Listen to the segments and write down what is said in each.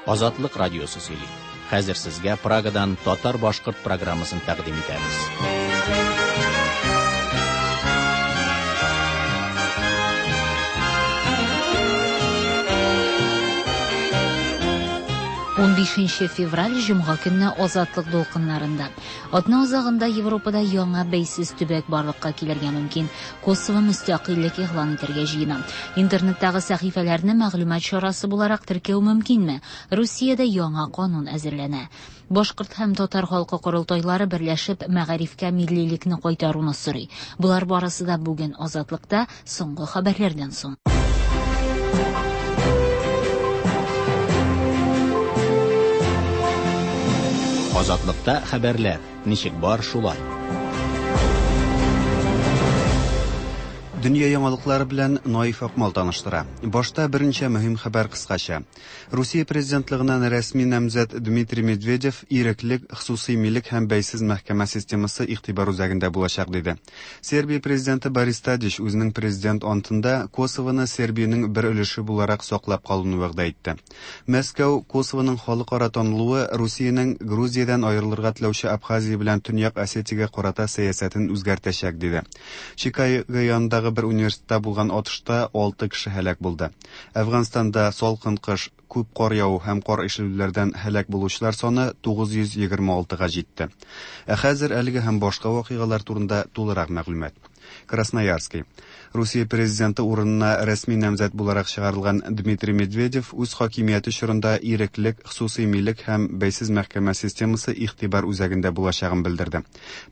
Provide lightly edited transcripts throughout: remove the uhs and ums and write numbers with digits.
Азатлык радиосы сөйли. Хәзер сезгә Прагадан татар-башкорт программасын тәкъдим итәбез. 15 февраль җомга көнне Азатлык дулкыннарында. Атна азагында Европада яңа бәйсез төбәк барлыкка килергә мөмкин. Косово мөстәкыйльлек игълан итәргә җыена. Интернеттагы сәхифәләрне мәгълүмат чарасы буларак теркәү мөмкинме? Русиядә яңа канун әзерләнә. Башкорт һәм татар халкы корылтайлары берләшеп мәгарифкә миллилекне кайтаруны сорый. Болар барысы да бүген Азатлыкта соңгы хәбәрләрдән соң. Азатлыкта хәбәрләр ничек бар шулай. Дөнья яңалыклары белән Наиф Акмал таныштыра. Башта берничә мөһим хәбәр кыскача. Русия президентлыгыннан рәсми намзәт Дмитрий Медведев иреклек, хосусый милек һәм бәйсез мәхкәмә системасы игътибар үзәгендә булачак диде. Сербия президенты Борис Тадич үзенең президент антында Косовоны Сербиянең бер өлеше буларак саклап калуны вәгъдә итте. Мәскәү Косовоның халыкара танылуы Русиянең Грузиядән аерылырга теләүче Абхазия белән Төньяк Осетиягә карата сәясәтен үзгәртәчәк диде. Чикаго янындагы бер университетта булган атышта 6 кеше һәлак булды. Әфганстанда салкын кыш, күп кар яву һәм кар ишелүләрдән һәлак булучылар саны 926-га җитте. Ә хәзер әлеге һәм башка вакыйгалар турында тулырак мәгълүмат. Красноярский. Русия президенты урынына рәсми намзәт буларак чыгарылган Дмитрий Медведев үз хакимияте чорында иреклек, хосусый милек һәм бәйсез мәхкәмә системасы игътибар үзәгендә булачагын белдерде.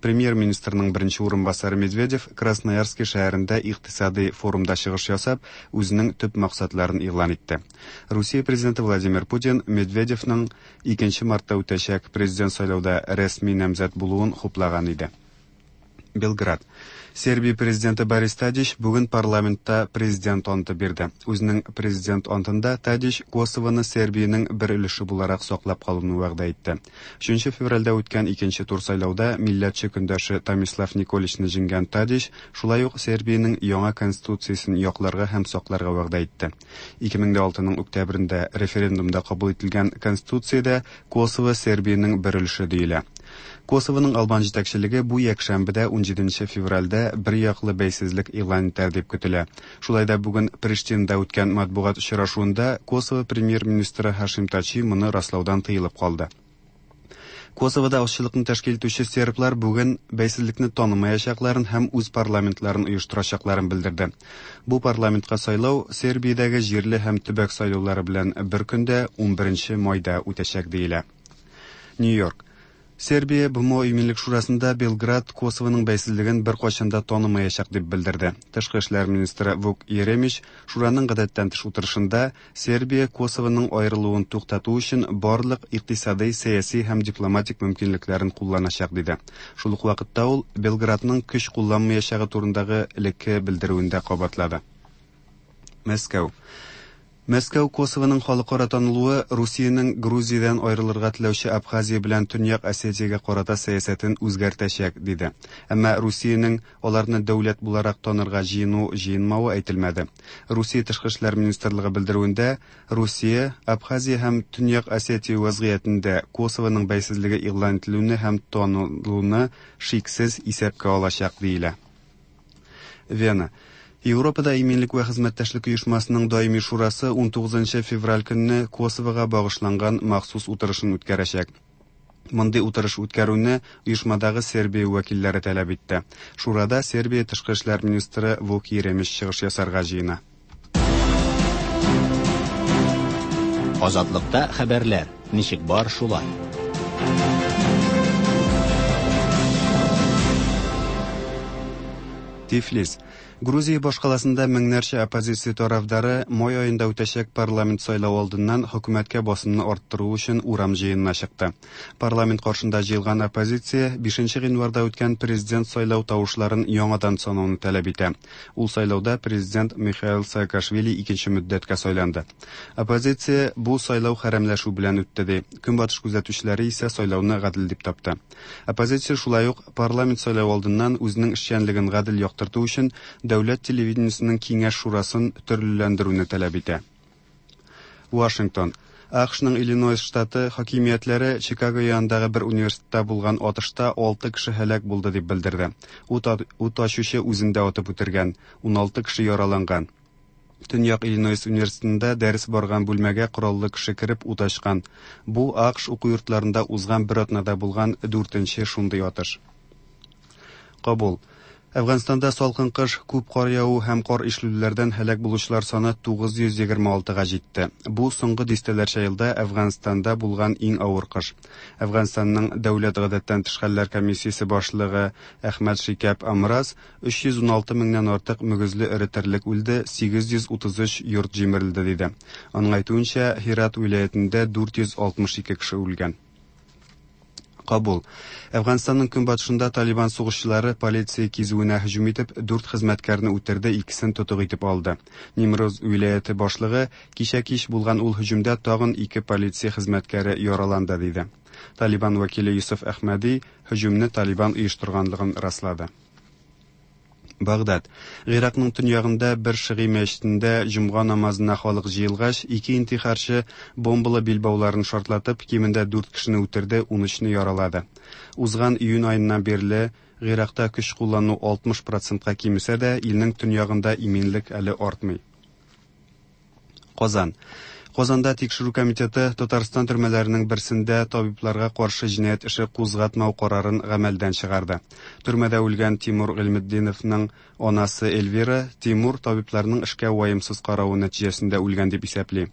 Премьер-министрның беренче урынбасары Медведев Красноярский шәһәрендә икътисади форумда чыгыш ясап, үзенең төп максатларын игълан итте. Русия президенты Владимир Путин Медведевның 2 мартта үтәчәк президент сайлауда рәсми намзәт булуын хуплаган иде. Белград. Сербия президенты Борис Тадич бүген парламентта президент анты бирде. Үзенең президент антында Тадич Косовоны Сербиянең бер өлеше буларак саклап калуны вәгъдә итте. 3 февральдә үткән икенче тур сайлауда милләтче көндәше Томислав Николичны җиңгән Тадич шулай ук Сербиянең яңа конституциясен якларга һәм сакларга вәгъдә итте. 2006-ның октябрендә референдумда кабул ителгән конституциядә Косово Сербиянең бер өлеше диелә. Косовоның албан җитәкчелеге бу якшәмбедә 17 февральдә бер яклы бәйсезлек игълан итәр дип көтелә. Шулай да бүген Приштинада үткән матбугат очрашуында Косово премьер-министры Хашим Тачи моны раслаудан тыелып калды. Косовода азчылыкны тәшкил итүче серблар бүген бәйсезлекне танымаячакларын һәм үз парламентларын оештырачакларын белдерде. Бу парламентка сайлау Сербиядәге җирле һәм төбәк сайлаулары белән бер көндә 11 майда үтәчәк диелә. Нью-Йорк. Сербия БМО Иминлек шурасында Белград Косовоның бәйсезлеген беркайчан да танымаячак дип белдерде. Тышкы эшләр министры Вук Еремич шураның гадәттән тыш утырышында Сербия Косовоның аерылуын туктату өчен барлык икътисадый, сәяси һәм дипломатик мөмкинлекләрен кулланачак диде. Шул ук вакытта ул Белградның көч кулланмаячагы турындагы элекке белдерүен дә кабатлады. Мәскәү. Мәскәү Косовоның халыкара танылуы Русиянең Грузиядән аерылырга теләүче Абхазия белән Төньяк Осетиягә карата сәясәтен үзгәртәчәк, диде. Әмма Русиянең аларны дәүләт буларак танырга җыену-җыенмавы әйтелмәде. Русия Тышкы эшләр министрлыгы белдерүендә, Русия, Абхазия һәм Төньяк Осетия вазгыятендә Косовоның бәйсезлеге игълан ителүне һәм танылуны шиксез исәпкә алачак, диелә. Вена. Европада иминлек вә хезмәттәшлек оешмасының даими шурасы 19 февраль көнне Косовога багышланган махсус утырышын үткәрәчәк. Мондый утырыш үткәрүне оешмадагы Сербия вәкилләре таләп итте. Шурада Сербия тышкы эшләр министры Вук Еремич чыгыш ясарга җыена. Азатлыкта хәбәрләр ничек бар шулай. Тифлис. Грузия башкаласында меңнәрчә оппозиция тарафдары май аенда үтәчәк парламент сайлау алдыннан хөкүмәткә басымны арттыру өчен урам җыенына чыкты. Парламент каршында җыелган оппозиция 5 гыйнварда үткән президент сайлау тавышларын яңадан санауны таләп итә. Ул сайлауда президент Михаил Саакашвили икенче мөддәткә сайланды. Оппозиция бу сайлау хәрәмләшү белән үтте ди. Көнбатыш күзәтүчеләре исә сайлауны гадел дип тапты. Оппозиция шулай ук парламент сайлау алдыннан үзенең эшчәнлеген гадел яктырту өчен дәүләт телевидениесенең киңәш шурасын төрлеләндерүне таләп итә. Вашингтон. АКШның Иллинойс штаты хакимиятләре Чикаго янындагы бер университетта булган атышта 6 кеше һәлак булды дип белдерде. Ут, ут ачучы үзен дә атып үтергән, 16 кеше яраланган. Төньяк Иллинойс университетында дәрес барган бүлмәгә кораллы кеше кереп ут ачкан. Бу АКШ уку йортларында узган бер атнада булган дүртенче шундый атыш. Кабул. Әфганстанда салкын кыш, күп кар яву һәм кар ишелүләрдән һәлак булучылар саны 926-га җитте. Бу соңгы дистәләрчә елда Әфганстанда булган иң авыр кыш. Әфганстанның Дәүләт гадәттән тыш хәлләр комиссиясе башлыгы Әхмәд Шикәп Амраз 316 меңнән артык мөгезле эре терлек үлде, 833 йорт җимерелде диде. Аның әйтүенчә, Һират вилаятендә 462 кеше үлгән. Кабул. Әфганстанның көнбатышында Талибан сугышчылары полиция кизүенә һөҗүм итеп, дүрт хезмәткәрне үтерде, икесен тотык итеп алды. Нимроз вилаяте башлыгы кичә кич булган ул һөҗүмдә тагын ике полиция хезмәткәре яраланды, диде. Талибан вәкиле Юсуф Әхмәди һөҗүмне Талибан оештырганлыгын раслады. Багдад. Гыйракның төньягында бер шигый мәчетендә җомга намазына халык җыелгач, ике интихарчы бомбалы билбауларын шартлатып, кимендә дүрт кешене үтерде, 13-не яралады. Узган июнь аеннан бирле Гыйракта көч куллану 60 процентка кимесә дә, илнең төньягында иминлек әле артмый. Казан. Казанда тикшерү комитеты Татарстан төрмәләренең берсендә табибларга каршы җинаять эше кузгатмау карарын гамәлдән чыгарды. Төрмәдә үлгән Тимур Гыйльметдиновның анасы Эльвира Тимур табибларның эшкә ваемсыз каравы нәтиҗәсендә үлгән дип исәпли.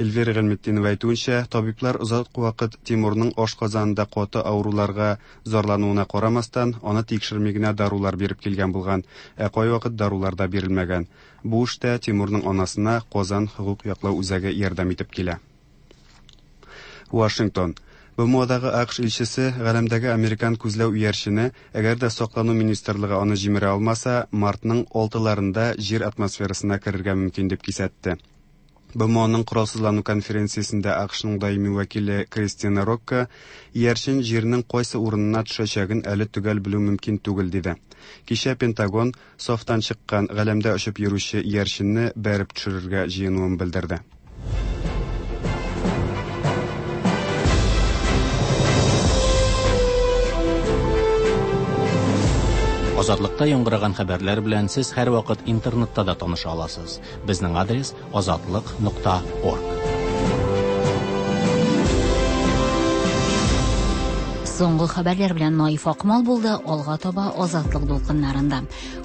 Эльвира Гыйльметдинова әйтүенчә, табиблар озак вакыт Тимурның ашказанында каты авыруларга зарлануына карамастан, аны тикшерми генә дарулар биреп килгән булган, ә кайвакыт дарулар да бирелмәгән. Бу эштә Тимурның анасына Казан хокук яклау үзәге ярдәм итеп килә. Вашингтон. БМОдагы АКШ илчесе галәмдәге американ күзләү иярчене, әгәр дә саклану министрлыгы аны җимерә алмаса, мартның 6-ларында җир атмосферасына керергә мөмкин дип кисәтте. БМОның коралсызлану конференциясендә АКШның даими вәкиле Кристина Рокко иярчен җирнең кайсы урынына төшәчәген әле төгәл белү мөмкин түгел диде. Кичә Пентагон сафтан чыккан галәмдә очып йөрүче иярченне бәреп төшерергә җыенуын белдерде. Азатлыкта яңгыраган хәбәрләр белән сез һәрвакыт интернетта да таныша аласыз. Безнең адрес азатлык.орг. Соңгы хәбәрләр белән Наиф Акмал булды, алга таба Азатлык дулкыннарында.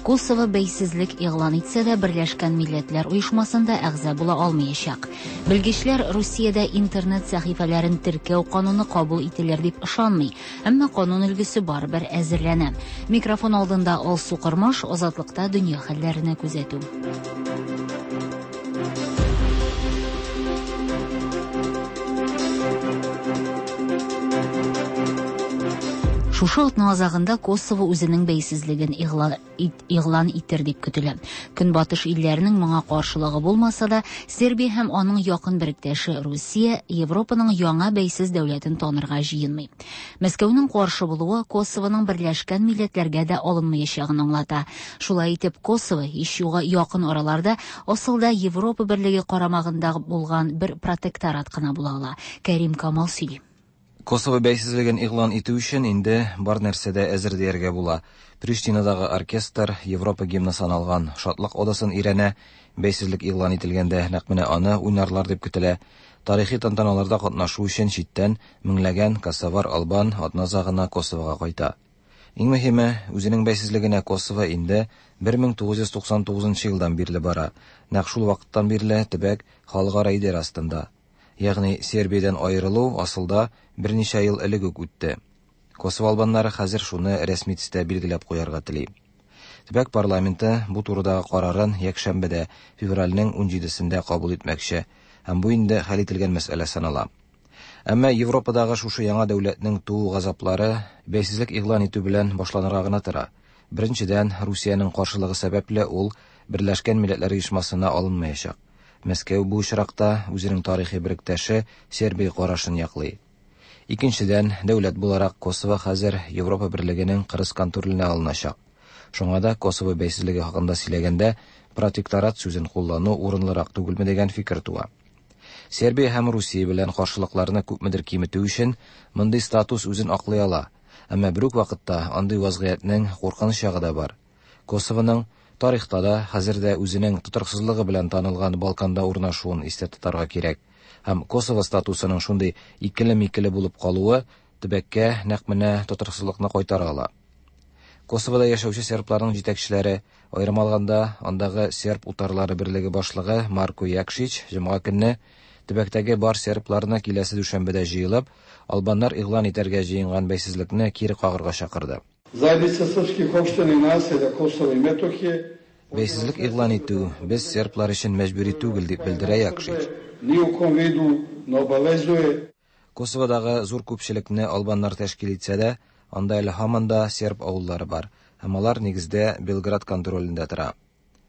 Косово бәйсезлек игълан итсә дә, Берләшкән Милләтләр Оешмасында әгъза була алмаячак. Белгечләр Русиядә интернет сәхифәләрен теркәү кануны кабул ителер дип ышанмый, әмма канун өлгесе барыбер әзерләнә. Микрофон алдында Алсу Кормаш, Азатлыкта дөнья хәлләренә күзәтү. Шушы атна азагында Косово үзенең бәйсезлеген игълан итер дип көтелә. Көнбатыш илләренең моңа каршылыгы булмаса да, Сербия һәм аның якын беректәше Русия Европаның яңа бәйсез дәүләтен танырга җыенмый. Мәскәүнең каршы булуы Косовоның Берләшкән Милләтләргә дә алынмаячагын аңлата. Шулай итеп, Косово һич югы якын араларда асылда Европа Берлеге карамагында булган бер протекторат кына була ала. Кәрим Камал сөйли. Косово бәйсезлеген игълан итү өчен инде бар нәрсә дә әзер дияргә була. Приштинадагы оркестр Европа гимны саналган шатлык одасын өйрәнә, бәйсезлек игълан ителгәндә нәкъ менә аны уйнарлар дип көтелә. Тарихи тантаналарда катнашу өчен читтән меңләгән косовар албан атна азагына Косовога кайта. Иң мөһиме, үзенең бәйсезлегенә Косово инде 1999 елдан бирле бара. Нәкъ шул вакыттан бирле төбәк халыкара идарә астында. Ягъни Сербиядән аерылу асылда берничә ел элек үк үтте. Косово албаннары хәзер шуны рәсми төстә билгеләп куярга тели. Төбәк парламенты бу турыдагы карарын якшәмбедә, февральнең 17-сендә кабул итмәкче, һәм бу инде хәл ителгән мәсьәлә санала. Әмма Европадагы шушы яңа дәүләтнең туу газаплары бәйсезлек игълан итү белән башланырга гына тора. Беренчедән, Русиянең каршылыгы сәбәпле ул Берләшкән Милләтләр Оешмасына алынмаячак. Мәскәү бу очракта үзенең тарихи беректәше Сербия карашын яклый. Икенчедән, дәүләт буларак Косово хәзер Европа Берлегенең кырыс контроленә алыначак. Шуңа да Косово бәйсезлеге хакында сөйләгәндә протекторат сүзен куллану урынлырак түгелме дигән фикер туа. Сербия һәм Русия белән каршылыкларны күпмедер киметү өчен мондый статус үзен аклый ала. Әмма бер үк вакытта андый вазгыятьнең куркыныч ягы да бар. Косовоның тарихта да, хәзер дә үзенең тотрыксызлыгы белән танылган Балканда урнашуын истә тотарга кирәк. Һәм Косово статусының шундый икеле-микеле булып калуы төбәккә нәкъ менә тотрыксызлыкны кайтара ала. Косовода яшәүче сербларның җитәкчеләре, аерым алганда, андагы серб утарлары берлеге башлыгы Марко Якшич җомга көнне төбәктәге бар сербларны киләсе дүшәмбедә җыелып, албаннар игълан итәргә җыенган бәйсезлекне кире кагарга чакырды. Zajednica srpskih opština i naselja Kosova i Metohije Бәйсезлек игълан итү без серблар өчен мәҗбүри түгел, дип белдерә Якшич. Ни у kom vidu ne obavezuje. Косоводагы зур күпчелекне албаннар тәшкил итсә дә, анда әле һаман да серб авыллары бар, һәм алар нигездә Белград контролендә тора.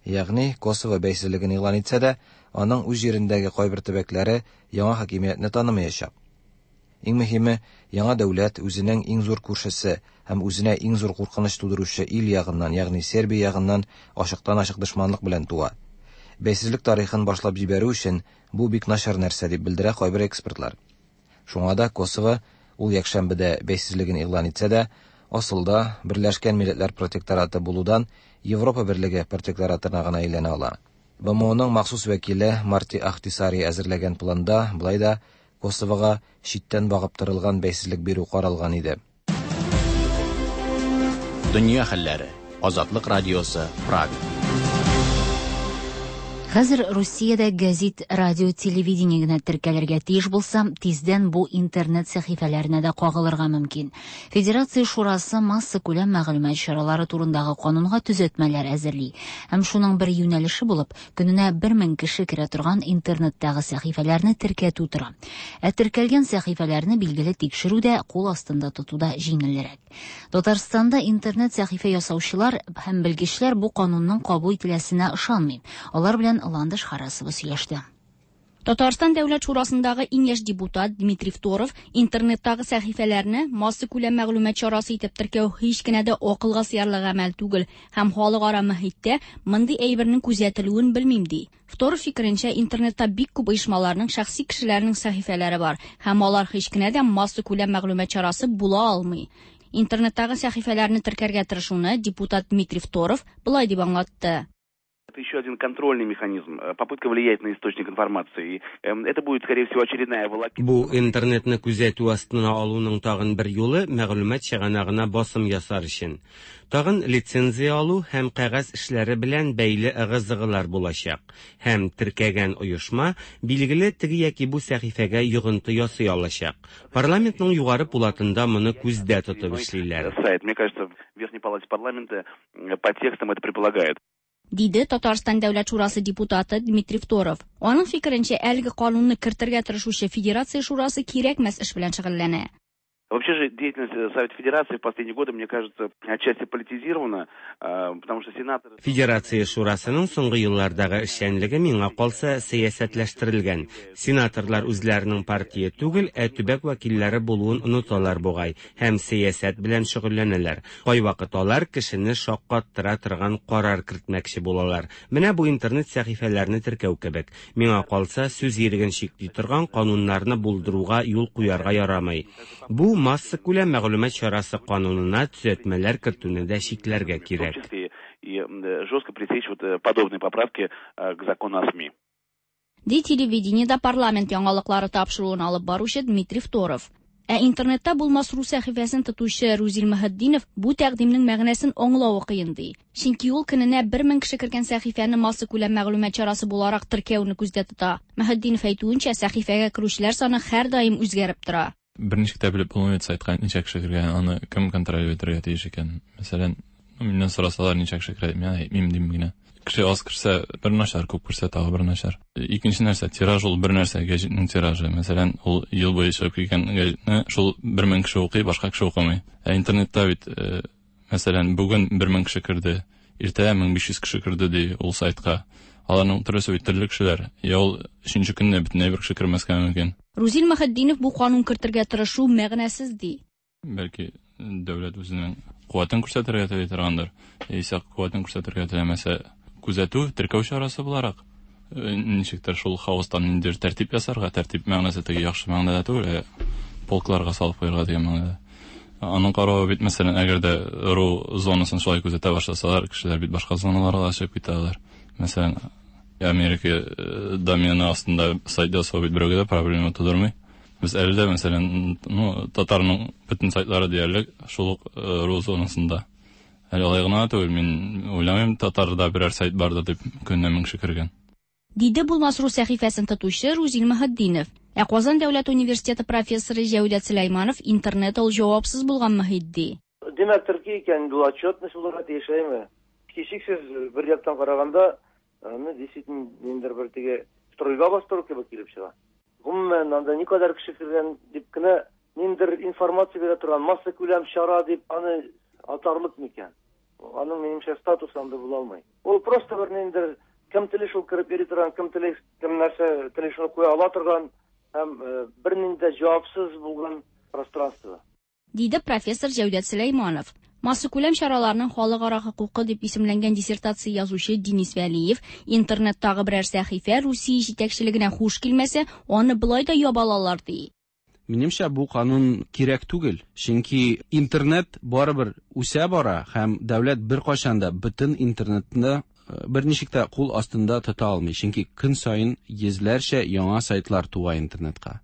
Ягъни Косово бәйсезлеген игълан итсә дә, аның үз җирендәге кайбер төбәкләре яңа хакимиятне танымаячак. Иң мөһиме, яңа дәүләт үзенең иң зур күршесе һәм үзенә иң зур куркыныч тудыручы ил ягыннан, ягъни Сербия ягыннан ачыктан-ачык дошманлык белән туа. Бәйсезлек тарихын башлап җибәрү өчен бу бик начар нәрсә, дип белдерә кайбер экспертлар. Шуңа да Косово ул якшәмбедә бәйсезлеген игълан итсә дә, асылда Берләшкән Милләтләр протектораты булудан Европа Берлеге протекторатына гына әйләнә ала. БМОның махсус вәкиле Марти Ахтисари әзерләгән планда болай да Косовога читтән багып торылган бәйсезлек бирү каралган иде. Дөнья хәлләре. Азатлык радиосы, Прага. Хәзер Русиядә гәзит, радио, телевидение генә теркәлергә тиеш булса, тиздән бу интернет сәхифәләренә дә кагылырга мөмкин. Федерация шурасы массакүләм мәгълүмат чаралары турындагы канунга төзәтмәләр әзерли. Һәм шуның бер юнәлеше булып, көненә 1000 кеше керә торган интернеттагы сәхифәләрне теркәтү тора. Ә теркәлгән сәхифәләрне билгеле тикшерү дә, кул астында тоту да җиңелрәк. Татарстанда интернет сәхифә ясаучылар һәм белгечләр бу канунның кабул ителәсенә ышанмый. Алар белән Ландыш Харасова сөйләште. Татарстан Дәүләт Шурасындагы иң яшь депутат Дмитрий Второв интернеттагы сәхифәләрне массакүләм мәгълүмат чарасы итеп теркәү һич кенә дә акылга сыярлык гамәл түгел һәм халыкара мөхиттә мондый әйбернең күзәтелүен белмим ди. Второв фикеренчә, интернетта бик күп оешмаларның, шәхси кешеләрнең сәхифәләре бар һәм алар һич кенә дә массакүләм мәгълүмат чарасы була алмый. Интернеттагы сәхифәләрне теркәргә тырышуны депутат Дмитрий Второв болай дип аңлатты. Это еще один контрольный механизм, попытка влиять на источник информации. И это будет, скорее всего, очередная волокита. Бу интернетны күзәтү астына алуның тагын бер юлы мәгълүмат чыганагына басым ясар өчен. Тагын лицензия алу һәм кәгазь эшләре белән бәйле ыгы-зыгылар булачак. Һәм теркәгән оешма билгеле теге яки бу сәхифәгә йогынты ясый алачак. Парламентның югары пулатында моны күздә тотып эшлиләр. Сайт. Мне кажется, в Верхней палате парламента по текстам это предполагает. Диде Татарстан Дәүләт Шурасы депутаты Дмитрий Второв. Аның фикеренчә, әлеге канунны кертергә тырышучы Федерация Шурасы кирәкмәс эш белән шөгыльләнә. Вообще же деятельность Совета Федерации в последние годы, мне кажется, отчасти политизирована, потому что сенаторы... Федерация Шурасының соңгы еллардагы эшчәнлеге миңа калса сәясәтләштерелгән. Сенаторлар үзләренең партия түгел, ә төбәк вәкилләре булуын оныталар бугай һәм сәясәт белән шөгыльләнәләр. Кайвакыт алар кешене шаккаттыра торган карар кертмәкче булалар. Менә бу интернет сәхифәләрне теркәү кебек. Миңа калса, сүз иреген чикли торган кануннарны булдыруга юл куярга ярамый. Бу массакүләм мәгълүмат чарасы канунына төзәтмәләр кертүне дә чикләргә кирәк. В том числе и жестко пресечь подобные поправки к закону о СМИ. Ди телевидениедә парламент яңалыклары тапшыруын алып баручы Дмитрий Второв. Ә интернетта булмас рус сәхифәсен тотучы Рузил Мөхетдинов бу тәкъдимнең мәгънәсен аңлавы кыен ди. Чөнки ул көненә 1000 кеше кергән сәхифәне массакүләм мәгълүмат чарасы буларак теркәүне күздә тота. Мөхетдинов әйтүенчә, сәхифәгә керүчеләр саны һәрдаим үзгәреп тора. Берничек тә белеп булмый бит сайтка ничә кеше кергән, аны кем контроль итәргә тиеш икән. Мәсәлән, миннән сорасалар ничә кеше керә, мин әйтмим дим генә. Кеше аз керсә бер начар, күп керсә тагы бер начар. Икенче нәрсә, тираж ул бер нәрсә, гәҗитнең тиражы. Мәсәлән, ул ел буе чыгып килгән гәҗитне шул 1000 кеше укый, башка кеше укымый. Ә интернетта бит, мәсәлән, бүген 1000 кеше керде, иртәгә 1500 кеше керде ди ул сайтка. Аларның төрлесе бит төрле кешеләр. Я ул өченче көнне бөтенләй бер кеше кермәскә мөмкин. Рузил Мөхетдинов бу канун кертергә тырышу мәгънәсез ди. Бәлки дәүләт үзенең куәтен күрсәтергә тели торгандыр. Яисә куәтен күрсәтергә теләмәсә, күзәтү, теркәү чарасы буларак Ничектер шул хаостан ниндидер тәртип ясарга, тәртип мәгънәсе теге яхшы мәгънәдә түгел, ә полкларга салып куярга дигән мәгънәдә. Аның каравы бит, мәсәлән, әгәр дә ру зонасын шулай күзәтә башласалар, кешеләр бит башка зоналарга да чыгып китә алар. Мәсәлән, Америка э, домены астында сайт ясау бит берәүгә дә проблема тудырмый. Без әле дә, мәсәлән, ну, татарның бөтен сайтлары диярлек шул ук э, ру зонасында. Әле алай гына да түгел, мин уйламыйм, татарда берәр сайт бардыр дип көненә 1000 кеше кергән. Диде Булмас ру сәхифәсен тотучы Рузил Мөхетдинов. Ә Казан дәүләт университеты профессоры Җәүдәт Сөләйманов интернет ул җавапсыз булган мөһит ди. Димәк, терки икән, инде ул отчетность булырга тиеш, әйеме? Һичшиксез, бер яктан караганда, аны действительно ниндидер бер теге стройга бастыру кебек килеп чыга. Гомумән, анда никадәр кеше кергән дип кенә ниндидер информация бирә торган массакүләм чара дип аны атарлык микән? Аның, минемчә, статусы анда була алмый. Ул просто бер ниндидер кем тели шул кереп йөри торган, кем тели, кем нәрсә тели шуны куя ала торган һәм э, бернинди дә җавапсыз булган пространство. Диде профессор Җәүдәт Сөләйманов. Массакүләм чараларның халыкара хокукы дип исемләнгән диссертация язучы Денис Вәлиев, интернеттагы берәр сәхифә Русия җитәкчелегенә хуш килмәсә, аны болай да яба алалар, ди. Минемчә, бу канун кирәк түгел, чөнки интернет барыбер үсә бара һәм дәүләт беркайчан да бөтен интернетны берничек тә кул астында тота алмый, чөнки көн саен йөзләрчә яңа сайтлар туа интернетка.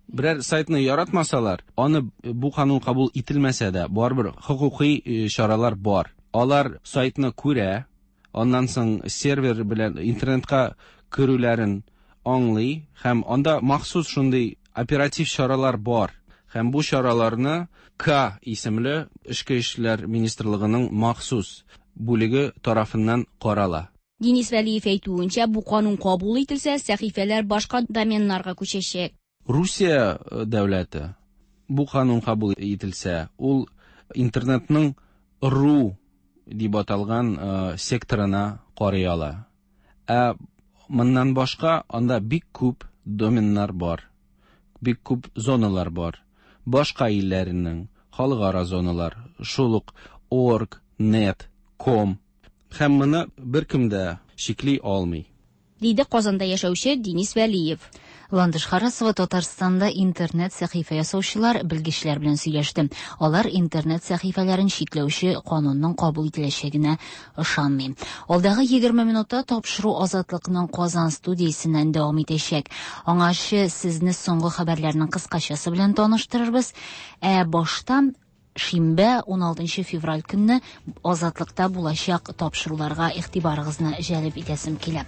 Берәр сайтны яратмасалар, аны бу канун кабул ителмәсә дә, барыбер хокукый э, чаралар бар. Алар сайтны күрә, аннан соң сервер белән интернетка керүләрен аңлый һәм анда махсус шундый оператив чаралар бар. Һәм бу чараларны К исемле Эчке эшләр министрлыгының махсус бүлеге тарафыннан карала. Денис Вәлиев әйтүенчә, бу канун кабул ителсә, сәхифәләр башка доменнарга күчәчәк. Русия э, дәүләте бу канун кабул ителсә, ул интернетның ру дип аталган э, секторына карый ала. Ә моннан башка анда бик күп доменнар бар, бик күп зоналар бар. Башка илләренең халыкара зоналар, шул ук org, net, com. Һәм моны беркем дә чикли алмый. Диде Казанда яшәүче Денис Вәлиев. Ландыш Харасова Татарстанда интернет сәхифә ясаучылар, белгечләр белән сөйләште. Алар интернет сәхифәләрен чикләүче канунның кабул ителәчәгенә ышанмый. Алдагы 20 минутта тапшыру Азатлыкның Казан студиясеннән дәвам итәчәк. Аңарчы сезне соңгы хәбәрләрнең кыскачасы белән таныштырырбыз. Ә башта шимбә 16 февраль көнне Азатлыкта булачак тапшыруларга игътибарыгызны җәлеп итәсем килә.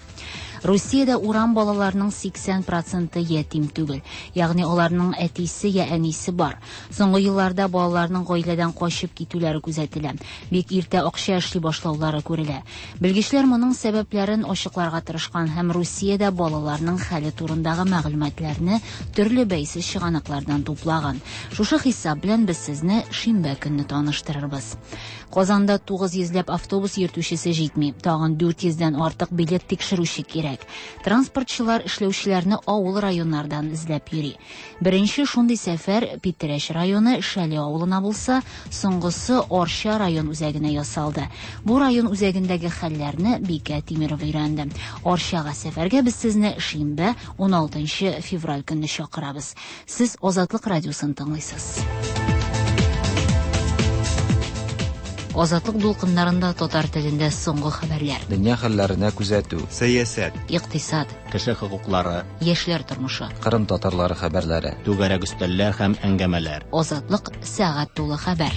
Русиядә урам балаларының 80 проценты ятим түгел, ягъни аларның әтисе я әнисе бар. Соңгы елларда балаларның гаиләдән качып китүләре күзәтелә. Бик иртә акча эшли башлаулары күрелә. Белгечләр моның сәбәпләрен ачыкларга тырышкан һәм Русиядә балаларның хәле турындагы мәгълүматларны төрле бәйсез чыганаклардан туплаган. Шушы хисап белән без сезне шимбә көнне таныштырырбыз. Казанда 900 ләп автобус йөртүчесе җитми. Тагын 400 дән артык билет тикшерүче кирәк. Транспортчылар эшләүчеләрне авыл районнардан эзләп йөри. Беренче шундый сәфәр Питрәч районы Шәле авылына булса, соңгысы Арча район үзәгенә ясалды. Бу район үзәгендәге хәлләрне Бикә Тимирова өйрәнде. Арчага сәфәргә без сезне шимбә 16 февраль көнне чакырабыз. Сез Азатлык радиосын тыңлыйсыз. Азатлык дулкыннарында татар телендә соңгы хәбәрләр. Дөнья хәлләренә күзәтү. Сәясәт. Икътисад. Кеше хокуклары. Яшьләр тормышы. Кырым татарлары хәбәрләре. Түгәрәк өстәлләр һәм әңгәмәләр. Азатлык сәгать тулы хәбәр.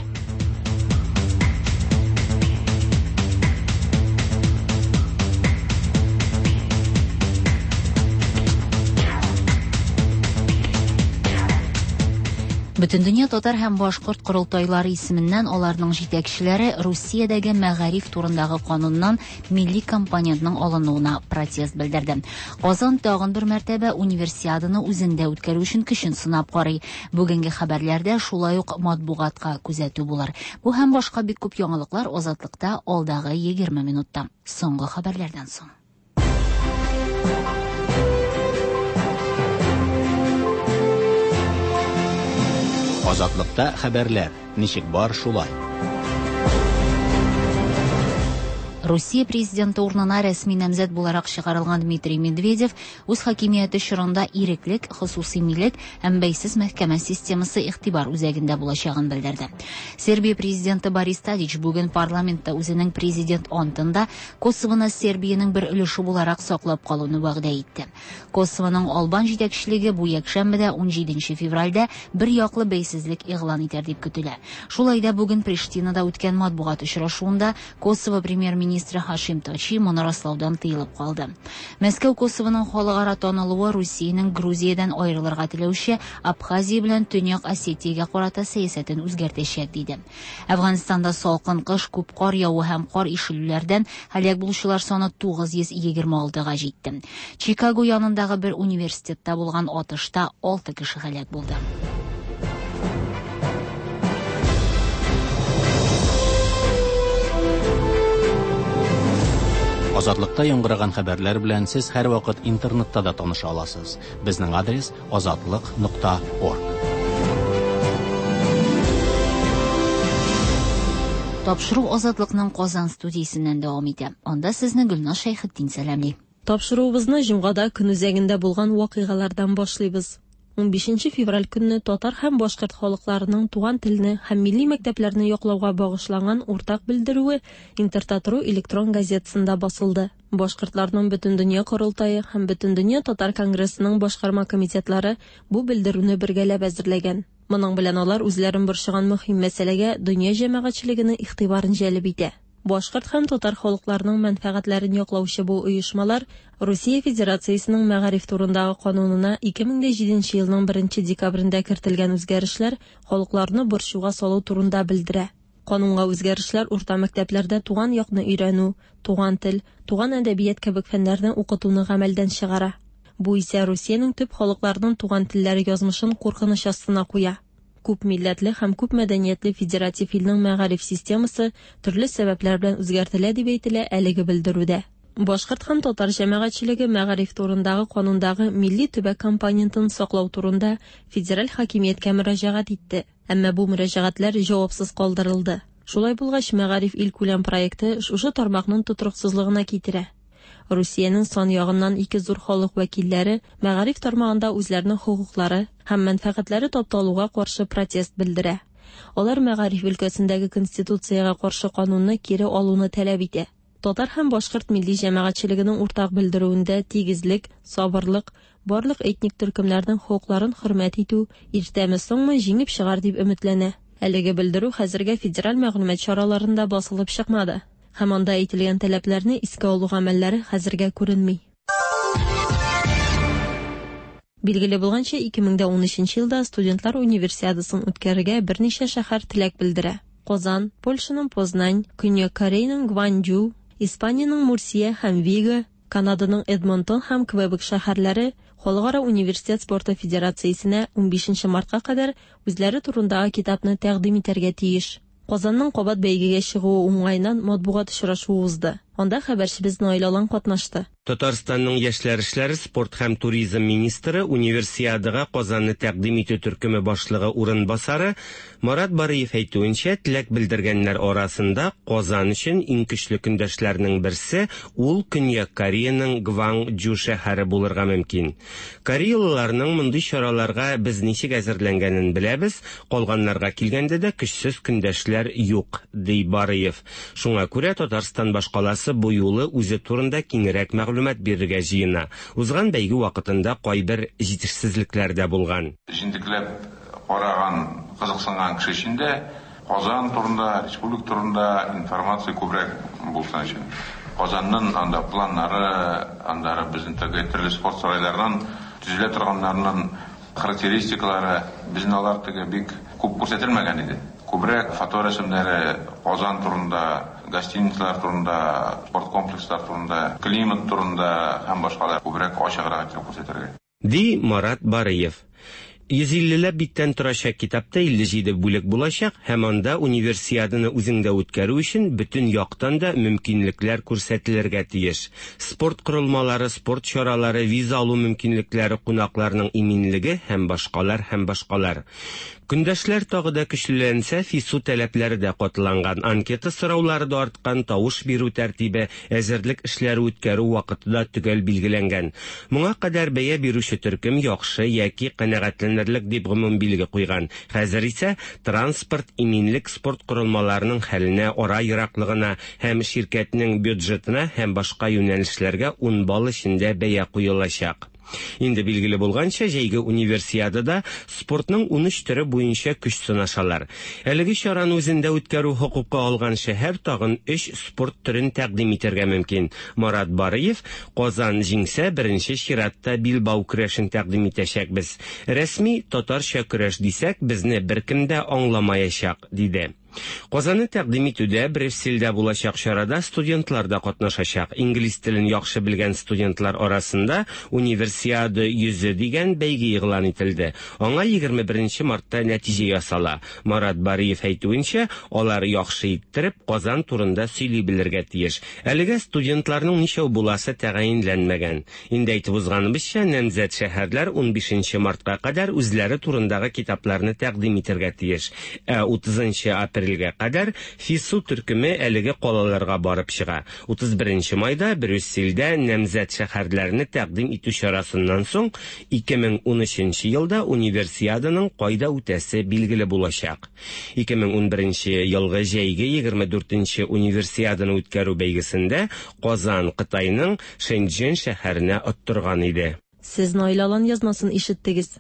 Бөтендөнья татар һәм башкорт корылтайлары исеменнән аларның җитәкчеләре Русиядәге мәгариф турындагы кануннан милли компонентның алынуына протест белдерде. Казан тагын бер мәртәбә универсиаданы үзендә үткәрү өчен көчен сынап карый. Бүгенге хәбәрләрдә шулай ук матбугатка күзәтү булыр. Бу һәм башка бик күп яңалыклар Азатлыкта алдагы 20 минутта. Соңгы хәбәрләрдән соң. Азатлыкта хәбәрләр ничек бар шулай. Русия президенты урынына рәсми намзәт буларак чыгарылган Дмитрий Медведев үз хакимияте чорында иреклек, хосусый милек һәм бәйсез мәхкәмә системасы игътибар үзәгендә булачагын белдерде. Сербия президенты Борис Тадич бүген парламентта үзенең президент антында Косовоны Сербиянең бер өлеше буларак саклап калуны вәгъдә итте. Косовоның албан җитәкчелеге бу якшәмбедә 17 февральдә бер яклы бәйсезлек игълан итәр дип көтелә. Шулай да бүген Приштинада үткән матбугат очрашуында Косово премьер-министры Хашим Тачи моны раслаудан тыелып калды. Мәскәү Косовоның халыкара танылуы Русиянең Грузиядән аерылырга теләүче Абхазия белән Төньяк Осетиягә карата сәясәтен үзгәртәчәк, диде. Әфганстанда салкын кыш, күп кар яву һәм кар ишелүләрдән һәлак булучылар саны 926-га җитте. Чикаго янындагы бер университетта булган атышта 6 кеше һәлак булды. Азатлыкта яңгыраган хәбәрләр белән сез һәрвакыт интернетта да таныша аласыз. Безнең адрес azatliq.org. Тапшыру Азатлыкның Казан студиясеннән дәвам итә. Анда сезне Гөлназ Шәйхетдин сәламли. Тапшыруыбызны җомгада көн үзәгендә булган вакыйгалардан башлыйбыз. 15 февраль көнне татар һәм башкорт халыкларының туган телне һәм милли мәктәпләрне яклауга багышланган уртак белдерүе Интертат.ру электрон газетасында басылды. Башкортларның Бөтендөнья корылтае һәм Бөтендөнья татар конгрессының башкарма комитетлары бу белдерүне бергәләп әзерләгән. Моның белән алар үзләрен борчыган мөһим мәсьәләгә дөнья җәмәгатьчелегенең игътибарын җәлеп итә. Башкорт һәм татар халыкларының мәнфәгатьләрен яклаучы бу оешмалар Русия Федерациясенең мәгариф турындагы канунына 2007 елның 1 декабрендә кертелгән үзгәрешләр халыкларны борчуга салу турында белдерә. Канунга үзгәрешләр урта мәктәпләрдә туган якны өйрәнү, туган тел, туган әдәбият кебек фәннәрне укытуны гамәлдән чыгара. Бу исә Русиянең төп халыкларының туган телләре язмышын куркыныч астына куя. Күп милләтле һәм күп мәдәниятле федератив илнең мәгариф системасы төрле сәбәпләр белән үзгәртелә дип әйтелә әлеге белдерүдә. Башкорт һәм татар җәмәгатьчелеге мәгариф турындагы канундагы милли төбәк компонентын саклау турында федераль хакимияткә мөрәҗәгать итте. Әмма бу мөрәҗәгатьләр җавапсыз калдырылды. Шулай булгач, мәгариф илкүләм проекты шушы тармакның тотрыксызлыгына китерә. Русиянең сан ягыннан ике зур халык вәкилләре мәгариф тармагында үзләренең хокуклары һәм мәнфәгатьләре тапталуга каршы протест белдерә. Алар мәгариф өлкәсендәге конституциягә каршы канунны кире алуны таләп итә. Татар һәм башкорт милли җәмәгатьчелегенең уртак белдерүендә тигезлек, сабырлык, барлык этник төркемнәрнең хокукларын хөрмәт итү иртәме-соңмы җиңеп чыгар дип өметләнә. Әлеге белдерү хәзергә федераль мәгълүмат чараларында басылып чыкмады. Һәм анда әйтелгән таләпләрне искә алу гамәлләре хәзергә күренми. Билгеле булганча, 2013 елда студентлар универсиадасын үткәрергә берничә шәһәр теләк белдерә. Казан, Польшаның Познань, Көньяк Кореяның Гванджу, Испаниянең Мурсия һәм Виго, Канаданың Эдмонтон һәм Квебек шәһәрләре Халыкара университет спорты федерациясенә 15 мартка кадәр үзләре турындагы китапны тәкъдим итәргә тиеш. Казанның кабат бәйгегә чыгуы уңаеннан матбугат очрашуы узды. Анда хәбәрчебез Наил Алан катнашты. Татарстанның яшьләр эшләре, спорт һәм туризм министры, Универсиадага Казанны тәкъдим итү төркеме башлыгы урынбасары Марат Барыев әйтүенчә, теләк белдергәннәр арасында Казан өчен иң көчле көндәшләрнең берсе ул Көньяк Кореяның Гванджу шәһәре булырга мөмкин. Кореялыларның мондый чараларга без ничек әзерләнгәнен беләбез, калганнарга килгәндә дә көчсез көндәшләр юк, ди Барыев. Шуңа күрә Татарстан башкаласы бу юлы үзе турында киңрәк мәгълүмат бирергә җыена. Узган бәйге вакытында кайбер җитешсезлекләр дә булган. Җентекләп караган, кызыксынган кеше өчен дә Казан турында, республика турында информация күбрәк булсын өчен. Казанның анда планнары, андары безнең теге төрле спорт сарайларынан төзелә торганнарының характеристикалары безнең алар теге бик күп күрсәтелмәгән иде. Күбрәк фоторәсемнәре Казан турында, гостиницалар турында, спорт комплекслар турында, климат турында һәм башкалар күбрәк ачыграк итеп күрсәтергә. Ди Марат Барыев. 150 ләп биттән торачак китапта 57 бүлек булачак һәм анда Универсиаданы үзеңдә үткәрү өчен бөтен яктан да мөмкинлекләр күрсәтелергә тиеш. Спорт корылмалары, спорт чаралары, виза алу мөмкинлекләре, кунакларның иминлеге һәм башкалар һәм башкалар. Көндәшләр тагы да көчлеләнсә, ФИСУ таләпләре дә катыланган, анкета сораулары да арткан, тавыш бирү тәртибе, әзерлек эшләре үткәрү вакыты да төгәл билгеләнгән. Моңа кадәр бәя бирүче төркем яхшы яки канәгатьләнерлек дип гомум билге куйган. Хәзер исә транспорт, иминлек, спорт корылмаларының хәленә, ара ераклыгына һәм ширкәтнең бюджетына һәм башка юнәлешләргә 10 балл эчендә бәя куелачак. Инде билгеле булганча, җәйге Универсиадада спортның 13 төре буенча көч сынашалар. Әлеге чараны үзендә үткәрү хокукы алган шәһәр тагын 3 спорт төрен тәкъдим итәргә мөмкин. Марат Барыев, Казан җиңсә, беренче чиратта билбау көрәшен тәкъдим итәчәкбез. Рәсми татарча көрәш дисәк, безне беркем дә аңламаячак, диде. Казанны тәкъдим итүдә Брюссельдә булачак чарада студентлар да катнашачак. Инглиз телен яхшы белгән студентлар арасында Универсиада йөзе дигән бәйге игълан ителде. Аңа 21 мартта нәтиҗә ясала. Марат Бариев әйтүенчә, алар яхшы иттереп Казан турында сөйли белергә тиеш. Әлегә студентларның ничәү буласы тәгаенләнмәгән. Инде әйтеп узганыбызча, намзәт шәһәрләр 15 мартка кадәр үзләре турындагы китапларны тәкъдим итәргә тиеш. Ә 30 апрельгә кадәр ФИСУ төркеме әлеге калаларга барып чыга. 31 майда Брюссельдә намзәт шәһәрләрне тәкъдим итү чарасыннан соң 2013 елда Универсиаданың кайда үтәсе билгеле булачак. 2011 елгы җәйге 24 Универсиаданы үткәрү бәйгесендә Казан Кытайның Шэньчжэн шәһәренә оттырган иде. Сез Наил Алан язмасын ишеттегез.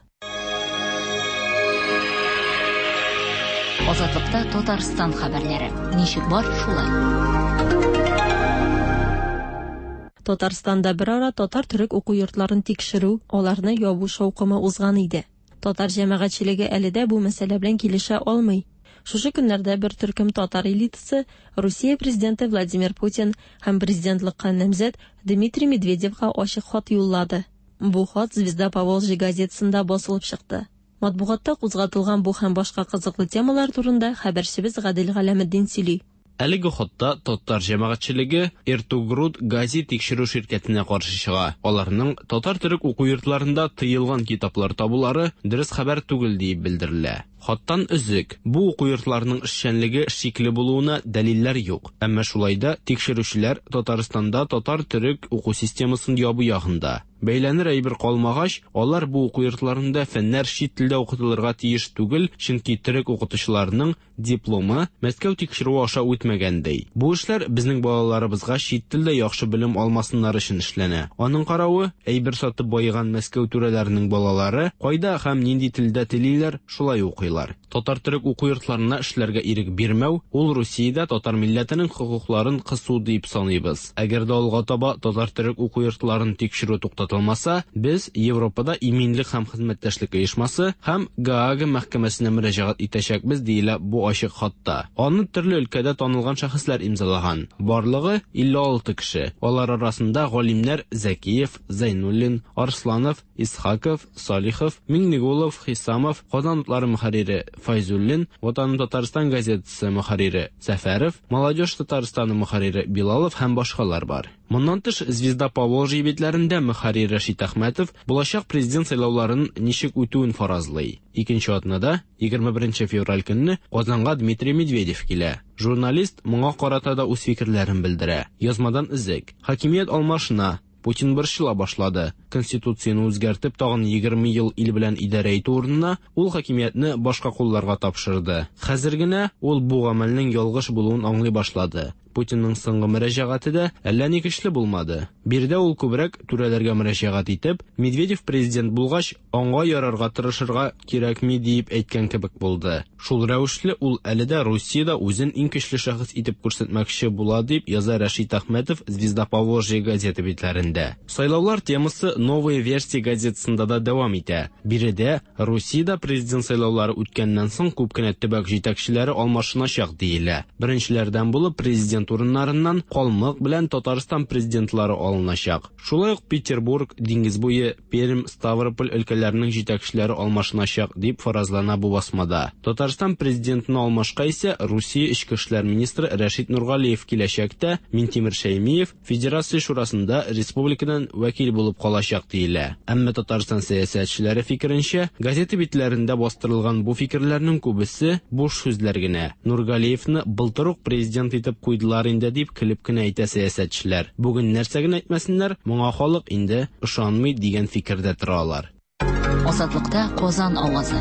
Азатлыкта Татарстан хәбәрләре. Ничек бар, шулай. Татарстанда берара татар-төрек уку йортларын тикшерү, аларны ябу шаукымы узган иде. Татар җәмәгатьчелеге әле дә бу мәсьәлә белән килешә алмый. Шушы көннәрдә бер төркем татар элитасы Русия президенты Владимир Путин һәм президентлыкка намзәт Дмитрий Медведевка ачык хат юллады. Бу хат Звезда Поволжья газетасында басылып чыкты. Матбугатта кузгатылган бу һәм башка кызыклы темалар турында хәбәрчебез Гадел Галәметдин сөйли. Әлеге хатта татар җәмәгатьчелеге Эртугруд Гази тикшерү ширкәтенә каршы чыга. Аларның татар-төрек уку йортларында тыелган китаплар табулары дөрес хәбәр түгел диеп белдерелә. Хаттан өзек. Бу уку йортларының эшчәнлеге шикле булуына дәлилләр юк. Әмма шулай да тикшерүчеләр Татарстанда татар-төрек уку системасын ябу ягында. Бәйләнер әйбер калмагач, алар бу уку йортларында фәннәр чит телдә укытылырга тиеш түгел, чөнки төрек укытучыларының дипломы Мәскәү тикшерүе аша үтмәгән ди. Бу эшләр безнең балаларыбызга чит телдә яхшы белем алмасыннар өчен эшләнә. Аның каравы, әйбер сатып баеган Мәскәү түрәләренең балалары кайда һәм нинди телдә телиләр, шулай укыйлар. Татар-төрек уку йортларына эшләргә ирек бирмәү, ул Русиядә татар милләтенең хокукларын кысу дип саныйбыз. Әгәр дә алга таба татар-төрек уку йортларын тикшерү туктатылмаса, без Европада иминлек һәм хезмәттәшлек оешмасы һәм Гаага мәхкәмәсенә мөрәҗәгать итәчәкбез, диелә бу ачык хатта. Аны төрле өлкәдә танылган шәхесләр имзалаган. Барлыгы 56 кеше. Алар арасында галимнәр Зәкиев, Зәйнуллин, Арсланов, Исхаков, Салихов, Миңнегулов, Хисамов, Казан утлары мөхәррире Файзуллин, Ватаным Татарстан газетасы мөхәррире Сәфәров, Молодежь Татарстаны мөхәррире Билалов һәм башкалар бар. Моннан тыш, Звезда Поволжья битләрендә мөхәррир Рәшит Әхмәтов булачак президент сайлауларын ничек үтүен фаразлый. Икенче атнада, 21 февраль көнне Казанга Дмитрий Медведев килә. Журналист моңа карата да үз фикерләрен белдерә. Язмадан өзек. Хакимият алмашына, Путин борчыла башлады. Конституцияне үзгәртеп, тагын 20 ел ил белән идарә итү урынына ул хакимиятне башка кулларга тапшырды. Хәзер генә ул бу гамәлнең ялгыш булуын аңлый башлады. Путинның соңгы мөрәҗәгате дә әллә ни көчле булмады. Биредә ул күбрәк түрәләргә мөрәҗәгать итеп, Медведев президент булгач, аңа ярарга тырышырга кирәкми диеп әйткән кебек булды. Шул рәвешле ул әле дә Русиядә үзен иң көчле шәхес итеп күрсәтмәкче була дип яза Рәшит Әхмәтов Звезда Поволжья газета битләрендә. Сайлаулар темасы Новая версия газетасында да дәвам итә. Биредә Русиядә президент сайлаулары үткәннән соң күп кенә төбәк җитәкчеләре алмашыначак диелә. Беренчеләрдән булып президент президент урыннарыннан Калмык белән Татарстан президентлары алыначак. Шулай ук Петербург, Диңгез буе, Пермь, Ставрополь өлкәләренең җитәкчеләре алмашыначак, дип фаразлана бу басмада. Татарстан президентына алмашка исә Русия эчке эшләр министры Рәшит Нургалиев киләчәк тә, Минтимер Шәймиев Федерация шурасында республикадан вәкил булып калачак диелә. Әмма Татарстан сәясәтчеләре фикеренчә, газета битләрендә бастырылган бу фикерләрнең күбесе буш сүзләр генә. Нургалиевны былтыр ук президент итеп куйдылар инде дип көлеп кенә әйтә сәясәтчеләр. Бүген нәрсә генә әйтмәсеннәр, моңа халык инде ышанмый дигән фикердә тора алар. Азатлыкта Казан авазы.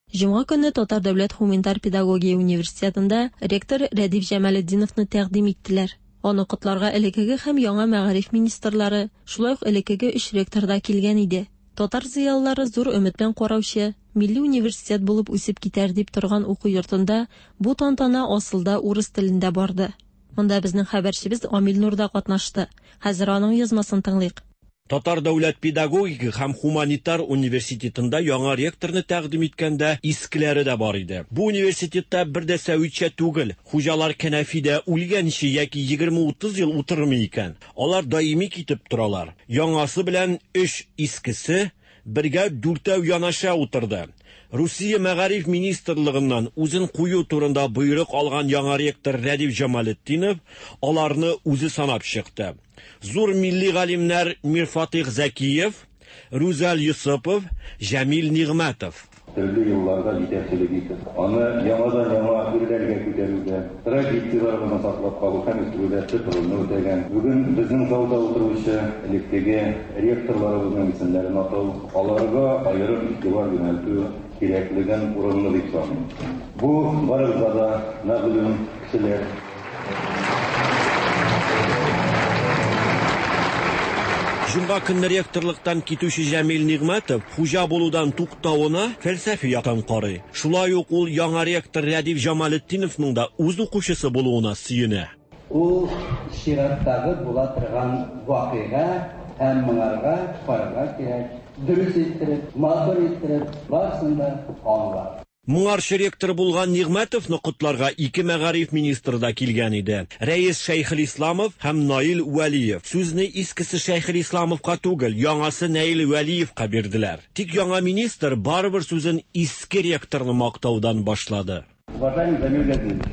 Җомга көнне Татар дәүләт һуминтар педагогия университетында ректор Рәдиф Җамалетдиновны тәкъдим иттеләр. Аны котларга элеккеге һәм яңа мәгариф министрлары, шулай ук элеккеге өч ректор да килгән иде. Татар зыялылары зур өмет белән караучы, милли университет булып үсеп китәр дип торган уку йортында бу тантана асылда урыс телендә барды. Монда безнең хәбәрчебез Амил Нур да катнашты. Хәзер аның язмасын тыңлыйк. Татар дәүләт педагогика һәм һуманитар университетында яңа ректорны тәкъдим иткәндә искеләре дә бар иде. Бу университетта бер дә сәвитчә түгел, хуҗалар кәнәфидә үлгәнче яки 20-30 ел утырмый икән. Алар даими китеп торалар. Яңасы белән өч искесе бергә дүртәү янәшә утырды. Русия мәгариф министрлыгыннан үзен кую турында боерык алган яңа ректор Рәдиф Җамалетдинов аларны үзе санап чыкты. Зур милли галимнәр Мирфатыйх Зәкиев, Рүзәл Йосыпов, Җәмил Нигъмәтов. Төрле елларда җитәкчелек итеп, аны яңадан-яңа үрләргә күтәрүдә, традицияләребезне саклап калу һәм үстерүдә төп рольне үтәгән, бүген безнең залда утыручы элеккеге ректорларыбызның исемнәрен атау, аларга аерым игътибар юнәлтү кирәклеген урынлы дип саныйм. Бу барыбызга да мәгълүм кешеләр. Җомга көнне ректорлыктан китүче Җәмил Нигъмәтов хуҗа булудан туктавына фәлсәфи яктан карый. Шулай ук ул яңа ректор Рәдиф Җамалетдиновның да үз укучысы булуына сөенә. Ул чираттагы була торган вакыйга һәм моңарга карарга кирәк, дөрес иттереп, матур иттереп, барысын да аңлап. Моңарчы ректор булган Нигъмәтовны котларга ике мәгариф министры да килгән иде. Рәис Шәйхелисламов һәм Наил Вәлиев. Сүзне искесе Шәйхелисламовка түгел, яңасы Наил Вәлиевка бирделәр. Тик яңа министр барыбер сүзен иске ректорны мактаудан башлады. Уважаемый Замир Газизович,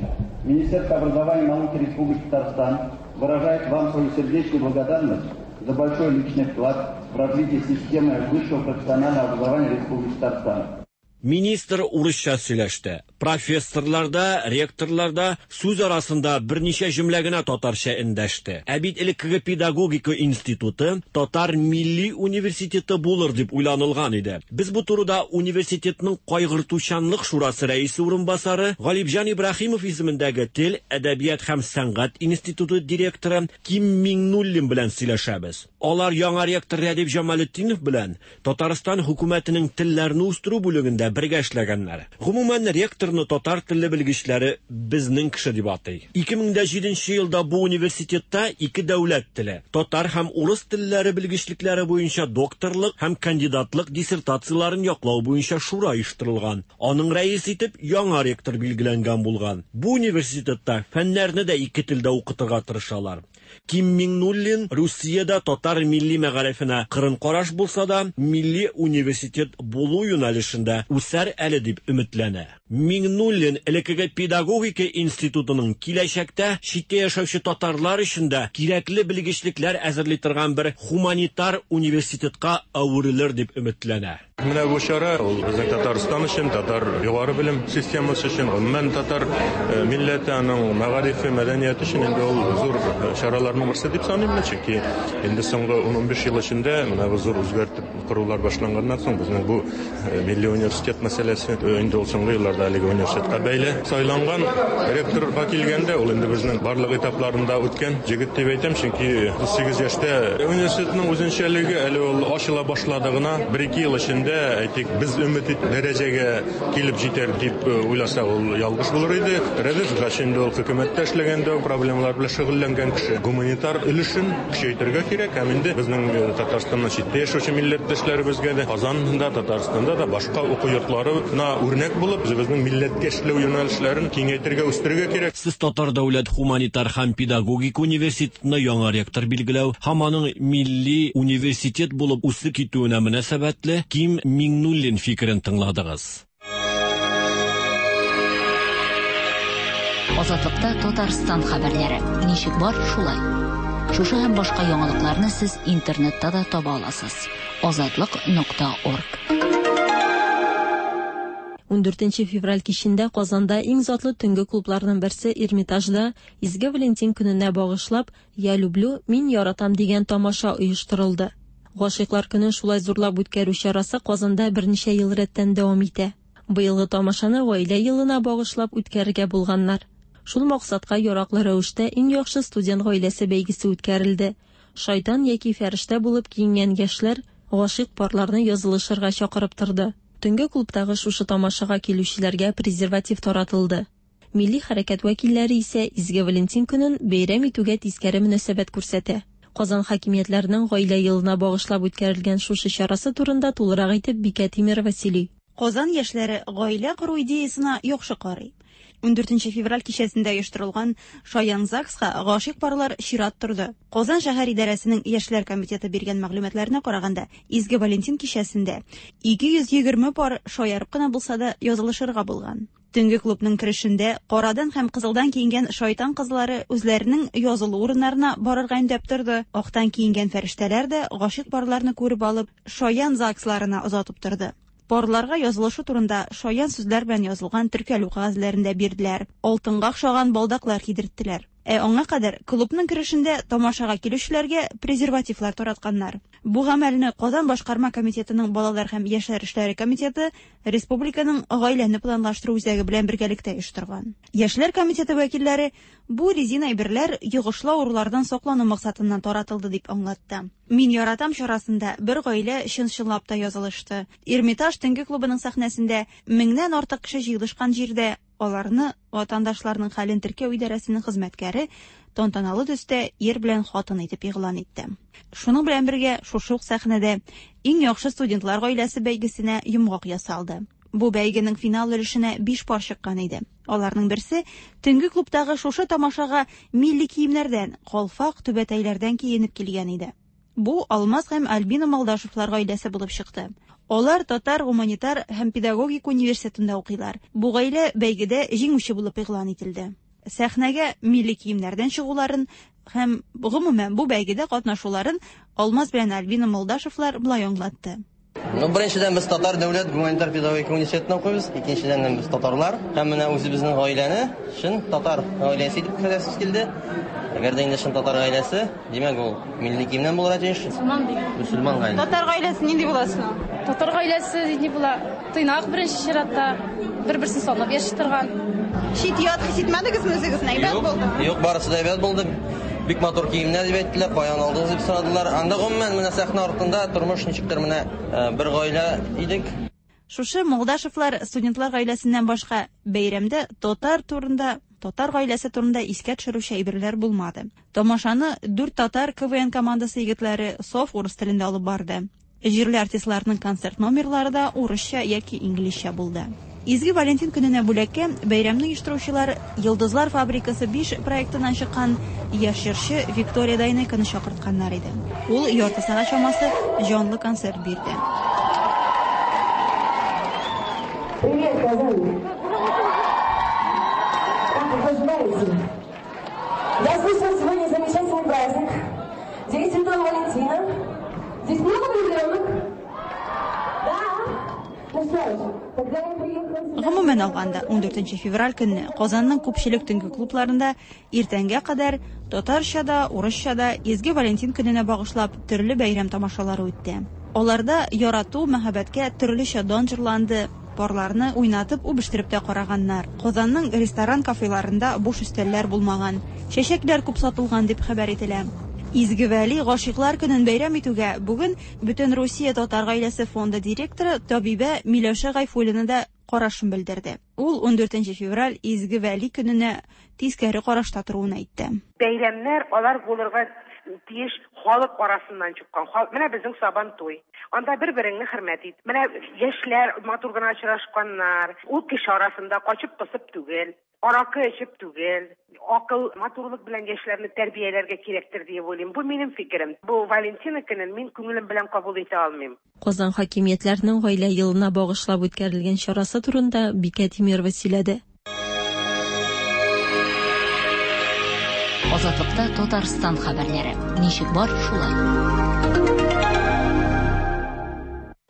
Министерство образования и науки Республики Татарстан выражает вам свою сердечную благодарность за большой личный вклад в развитие системы высшего профессионального образования Республики Татарстан. Министр урысча сөйләште. Профессорлар да, ректорлар да сүз арасында берничә җөмлә генә татарча эндәште. Ә бит элеккеге педагогика институты Татар милли университеты булыр дип уйланылган иде. Без бу турыда университетның кайгыртучанлык шурасы рәисе урынбасары Галибҗан Ибраһимов исемендәге тел, әдәбият һәм сәнгать институты директоры Ким Миңнуллин белән сөйләшәбез. Алар яңа ректор Рәдиф Җамалетдинов белән Татарстан хөкүмәтенең телләрне үстерү бүлегендә бергә эшләгәннәр. Гомумән, ректорны татар телле белгечләре безнең кеше дип атый. 2007 елда бу университетта ике дәүләт теле, татар һәм урыс телләре белгечлекләре буенча докторлык һәм кандидатлык диссертацияләрен яклау буенча шура оештырылган. Аның рәисе итеп яңа ректор билгеләнгән булган. Бу университетта фәннәрне дә ике телдә укытырга тырышалар. Ким Миңнуллин Русиядә татар милли мәгарифенә кырын караш булса да, милли университет булу юнәлешендә үсәр әле дип өметләнә. Миңнуллин элеккеге педагогика институтының киләчәктә читтә яшәүче татарлар өчен дә кирәкле белгечлекләр әзерли торган бер һуманитар университетка әверелер дип өметләнә. Менә бу чара ул безнең Татарстан өчен, татар югары белем системасы өчен, гомумән татар милләте, аның мәгарифе, мәдәнияте өчен инде ул зур чараларның берсе дип саныйм мин, чөнки инде соңгы 10-15 ел эчендә менә бу зур үзгәртеп корулар башланганнан соң безнең бу милли университет мәсьәләсе инде ул соңгы елларда әлеге университетка бәйле сайланган ректорга килгәндә ул инде безнең барлык этапларында үткән җегет дип әйтәм, чөнки 38 яшьтә университетның үзенчәлеге әле ул ачыла башлады гына, 1-2 ел эчендә, әйтик, без өмет ит дәрәҗәгә килеп җитәр дип уйласак, ул ялгыш булыр иде. Рәдиф Гач инде ул хөкүмәттә эшләгәндә проблемалар белән шөгыльләнгән кеше. Гуманитар өлешен көчәйтергә кирәк һәм инде безнең Татарстаннан читтә яшәүче милләттәшләр Милләттәшләребезгә дә, Казанда, Татарстанда да башка уку йортларына үрнәк булып, үзебезнең милләткә эшләү юнәлешләрен киңәйтергә, үстерергә кирәк. Сез Татар дәүләт һуманитар һәм педагогика университетына яңа ректор билгеләү һәм аның милли университет булып үсеп китүенә мөнәсәбәтле Ким Миңнуллин фикерен тыңладыгыз. Азатлыкта Татарстан хәбәрләре. Ничек бар, шулай. Шушы һәм башка яңалыкларны сез интернетта да таба аласыз. Азатлык.орг. 14 февраль кичендә Казанда иң затлы төнге клубларның берсе Эрмитажда Изге Валентин көненә багышлап Я люблю, мин яратам дигән тамаша оештырылды. Гашыйклар көнен шулай зурлап үткәрү чарасы Казанда берничә ел рәттән дәвам итә. Быелгы тамашаны Гаилә елына багышлап үткәрергә булганнар. Шул максатка яраклы рәвештә Иң яхшы студент гаиләсе бәйгесе үткәрелде. Шайтан яки фәрештә булып киенгән яшьләр гашыйк парларны язылышырга чакырып торды. Төнге клубтагы шушы тамашага килүчеләргә презерватив таратылды. Милли хәрәкәт вәкилләре исә Изге Валентин көнен бәйрәм итүгә тискәре мөнәсәбәт күрсәтә. Казан хакимиятләренең Гаилә елына багышлап үткәрелгән шушы чарасы турында тулырак итеп Бикә Тимерова сөйли. Казан яшьләре гаилә кору идеясына яхшы карый. Ундүртенче февраль кичәсендә оештырылган Шаян ЗАГСка гашыйк парлар чират торды. Казан шәһәр идарәсенең яшьләр комитеты биргән мәгълүматларына караганда, Изге Валентин кичәсендә 220 пар шаярып кына булса да язылышырга булган. Төнге клубның керешендә карадан һәм кызылдан киенгән шайтан кызлары үзләренең язылу урыннарына барырга өндәп торды. Актан киенгән фәрештәләр дә гашыйк парларны күреп алып, шаян ЗАГСларына озатып торды. Парларга язылышу турында шаян сүзләр белән язылган теркәлү кәгазьләрен дә бирделәр, алтынга охшаган балдаклар кидерттеләр. Ә аңа кадәр клубның керешендә тамашага килүчеләргә презервативлар таратканнар. Бу гамәлне Казан башкарма комитетының балалар һәм яшьләр эшләре комитеты республиканың гаиләне планлаштыру үзәге белән бергәлектә оештырган. Яшьләр комитеты вәкилләре бу резин әйберләр йогышлы авырулардан саклану максатыннан таратылды дип аңлатты. Мин яратам чарасында бер гаилә чын-чынлап та язылышты. Эрмитаж төнге клубының сәхнәсендә меңнән артык кеше җыелышкан җирдә Аларны ватандашларның хәлен теркәү идарәсенең хезмәткәре тантаналы төстә ир белән хатын итеп игълан итте. Шуның белән бергә шушы ук сәхнәдә Иң яхшы студентлар гаиләсе бәйгесенә йомгак ясалды. Бу бәйгенең финал өлешенә биш пар чыккан иде. Аларның берсе төнге клубтагы шушы тамашага милли киемнәрдән, калфак, түбәтәйләрдән киенеп килгән иде. Бу Алмаз һәм Альбина Малдашевлар гаиләсе булып чыкты. Алар Татар гуманитар һәм педагогика университетында укыйлар. Бу гаилә бәйгедә җиңүче булып игълан ителде. Сәхнәгә милли киемнәрдән чыгуларын һәм, гомумән, бу бәйгедә катнашуларын Алмаз белән Альбина Молдашевлар болай аңлатты. Ну, беренчедән, без Татар дәүләт гуманитар педагогика университетында укыйбыз. Икенчедән, без татарлар. Һәм менә үзебезнең гаиләне чын татар гаиләсе итеп күрсәтәсебез килде. Әгәр дә инде чын татар гаиләсе, димәк, ул милли киемнән булырга тиеш. Мөселман бит. Мөселман гаиләсе. Татар гаиләсе нинди була соң? Татар гаиләсе нинди була? Тыйнак беренче чиратта, бер-берсен санап яши торган. Чит-ят хис итмәдегезме үзегезне? Әйбәт булдымы? Юк, барысы да әйбәт булды. Бик матур киемнәр дип әйттеләр, каян алдыгыз дип сорадылар. Анда гомумән менә сәхнә артында тормыш ничектер менә э, бер гаилә идек. Шушы Молдашевлар студентлар гаиләсеннән башка бәйрәмдә татар турында, татар гаиләсе турында искә төшерүче әйберләр булмады. Тамашаны дүрт татар КВН командасы егетләре саф урыс телендә алып барды. Җирле артистларның концерт номерлары да урысча яки инглизчә булды. Изге Валентин көненә бүләккә бәйрәмне оештыручылар Йолдызлар фабрикасы 5 проектыннан чыккан яшь җырчы Виктория Дайнеконы чакыртканнар иде. Ул ярты сәгать чамасы җанлы концерт бирде. Привет, Казань! Как вы поживаете? Я слышала, сегодня замечательный праздник. День Святого Валентина. Здесь много влюбленных? Да. Ну что ж, тогда я приехала... Гомумән алганда, 14 февраль көнне Казанның күпчелек төнге клубларында иртәнгә кадәр татарча да, урысча да Изге Валентин көненә багышлап төрле бәйрәм тамашалары үтте. Аларда ярату, мәхәббәткә төрлечә дан җырланды, парларны уйнатып, үбештереп тә караганнар. Казанның ресторан-кафеларында буш өстәлләр булмаган, чәчәкләр күп сатылган дип хәбәр ителә. Изге Вәли гашыйклар көнен бәйрәм итүгә бүген Бөтенрусия татар гаиләсе фонды директоры табибә Миләүшә Гайфуллина да карашын белдерде. Ул ундүртенче февраль Изге Вәли көненә тискәре карашта торуын әйтте. Бәйрәмнәр алар булырга тиеш. Халык арасыннан чыккан. Менә безнең Сабантуй. Анда бер-береңне хөрмәт ит. Менә яшьләр матур гына очрашканнар. Ул кеше арасында качып-посып түгел, аракы эчеп түгел. Акыл, матурлык белән яшьләрне тәрбияләргә кирәктер диеп уйлыйм. Бу минем фикерем. Бу Валентина көнен мин күңелем белән кабул итә алмыйм. Казан хакимиятләренең Гаилә елына багышлап үткәрелгән чарасы турында Бикә Тимерова сөйләде. Азатлыкта Татарстан хәбәрләре. Ничек бар, шулай.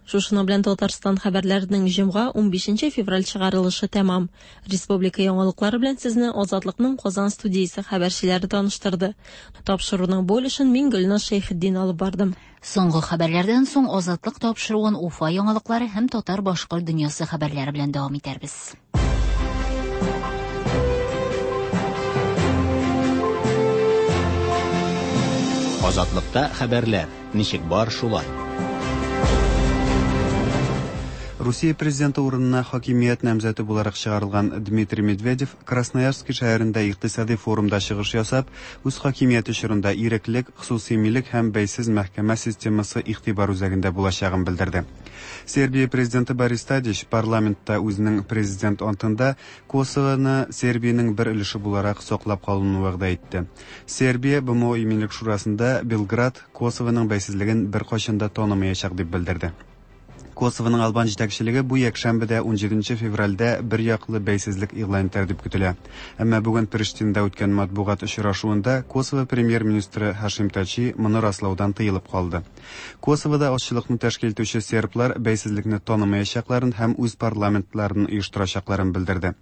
Шушының белән Татарстан хәбәрләренең җомга 15 февраль чыгарылышы тәмам. Республика яңалыклары белән сезне Азатлыкның Казан студиясе хәбәрчеләре таныштырды. Тапшыруның бу өлешен мин Гөлназ Шәйхетдин алып бардым. Соңгы хәбәрләрдән соң Азатлык тапшыруын Уфа яңалыклары һәм татар-башкорт дөньясы хәбәрләре белән дәвам итәрбез. Азатлыкта хәбәрләр. Ничек бар, шулай. Русия президенты урынына хакимият намзәте буларак чыгарылган Дмитрий Медведев Красноярский шәһәрендә икътисади форумда чыгыш ясап, үз хакимияте чорында иреклек, хосусый милек һәм бәйсез мәхкәмә системасы игътибар үзәгендә булачагын белдерде. Сербия президенты Борис Тадич парламентта үзенең президент антында Косовоны Сербиянең бер өлеше буларак саклап калуны вәгъдә итте. Сербия БМО Иминлек шурасында Белград Косовоның бәйсезлеген беркайчан да танымаячак дип белдерде. Косовоның албан җитәкчелеге бу якшәмбедә 17 февральдә бер яклы бәйсезлек игълан итәр дип көтелә. Әмма бүген Приштинада үткән матбугат очрашуында Косово премьер-министры Һашим Тачи моны раслаудан тыелып калды. Косовода азчылыкны тәшкил итүче серблар бәйсезлекне танымаячакларын һәм үз парламентларын оештырачакларын белдерде.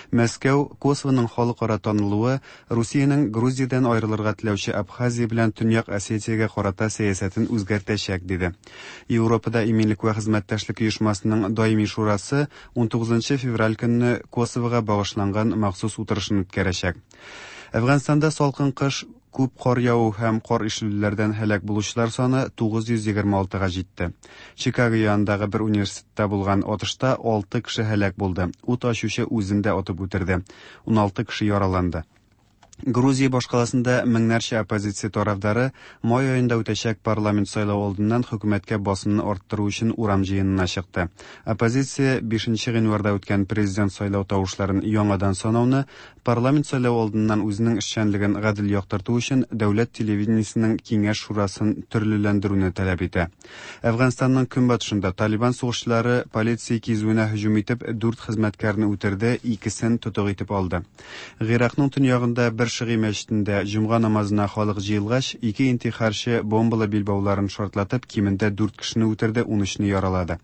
Мәскәү Косовоның халыкара танылуы Русиянең Грузиядән аерылырга теләүче Абхазия белән Төньяк Осетиягә карата сәясәтен үзгәртәчәк, диде. Европада иминлек вә хезмәттәшлек оешмасының даими шурасы 19 февраль көнне Косовога багышланган махсус утырышын үткәрәчәк. Әфганстанда салкын кыш, күп кар яву һәм кар ишелүләрдән һәлак булучылар саны 926-га җитте. Чикаго янындагы бер университетта булган атышта 6 кеше һәлак булды. Ут ачучы үзен дә атып үтерде. 16 кеше яраланды. Грузия башкаласында меңнәрчә оппозиция тарафдары май аенда үтәчәк парламент сайлавы алдыннан хөкүмәткә басымны арттыру өчен урам җыенына чыкты. Оппозиция 5 гыйнварда үткән президент сайлау тавышларын яңадан санауны, парламент сайлавы алдыннан үзенең эшчәнлеген гадел яктырту өчен дәүләт телевидениесенең киңәш шурасын төрлеләндерүне таләп итә. Әфганстанның көнбатышында Талибан сугышчылары полиция кизүенә һөҗүм итеп, дүрт хезмәткәрне үтерде, икесен тотык итеп алды. Гыйракның төньягында бер шигый мәчетендә җомга намазына халык җыелгач, ике интихарчы бомбалы билбауларын шартлатып, кимендә дүрт кешене үтерде, 13-не яралады.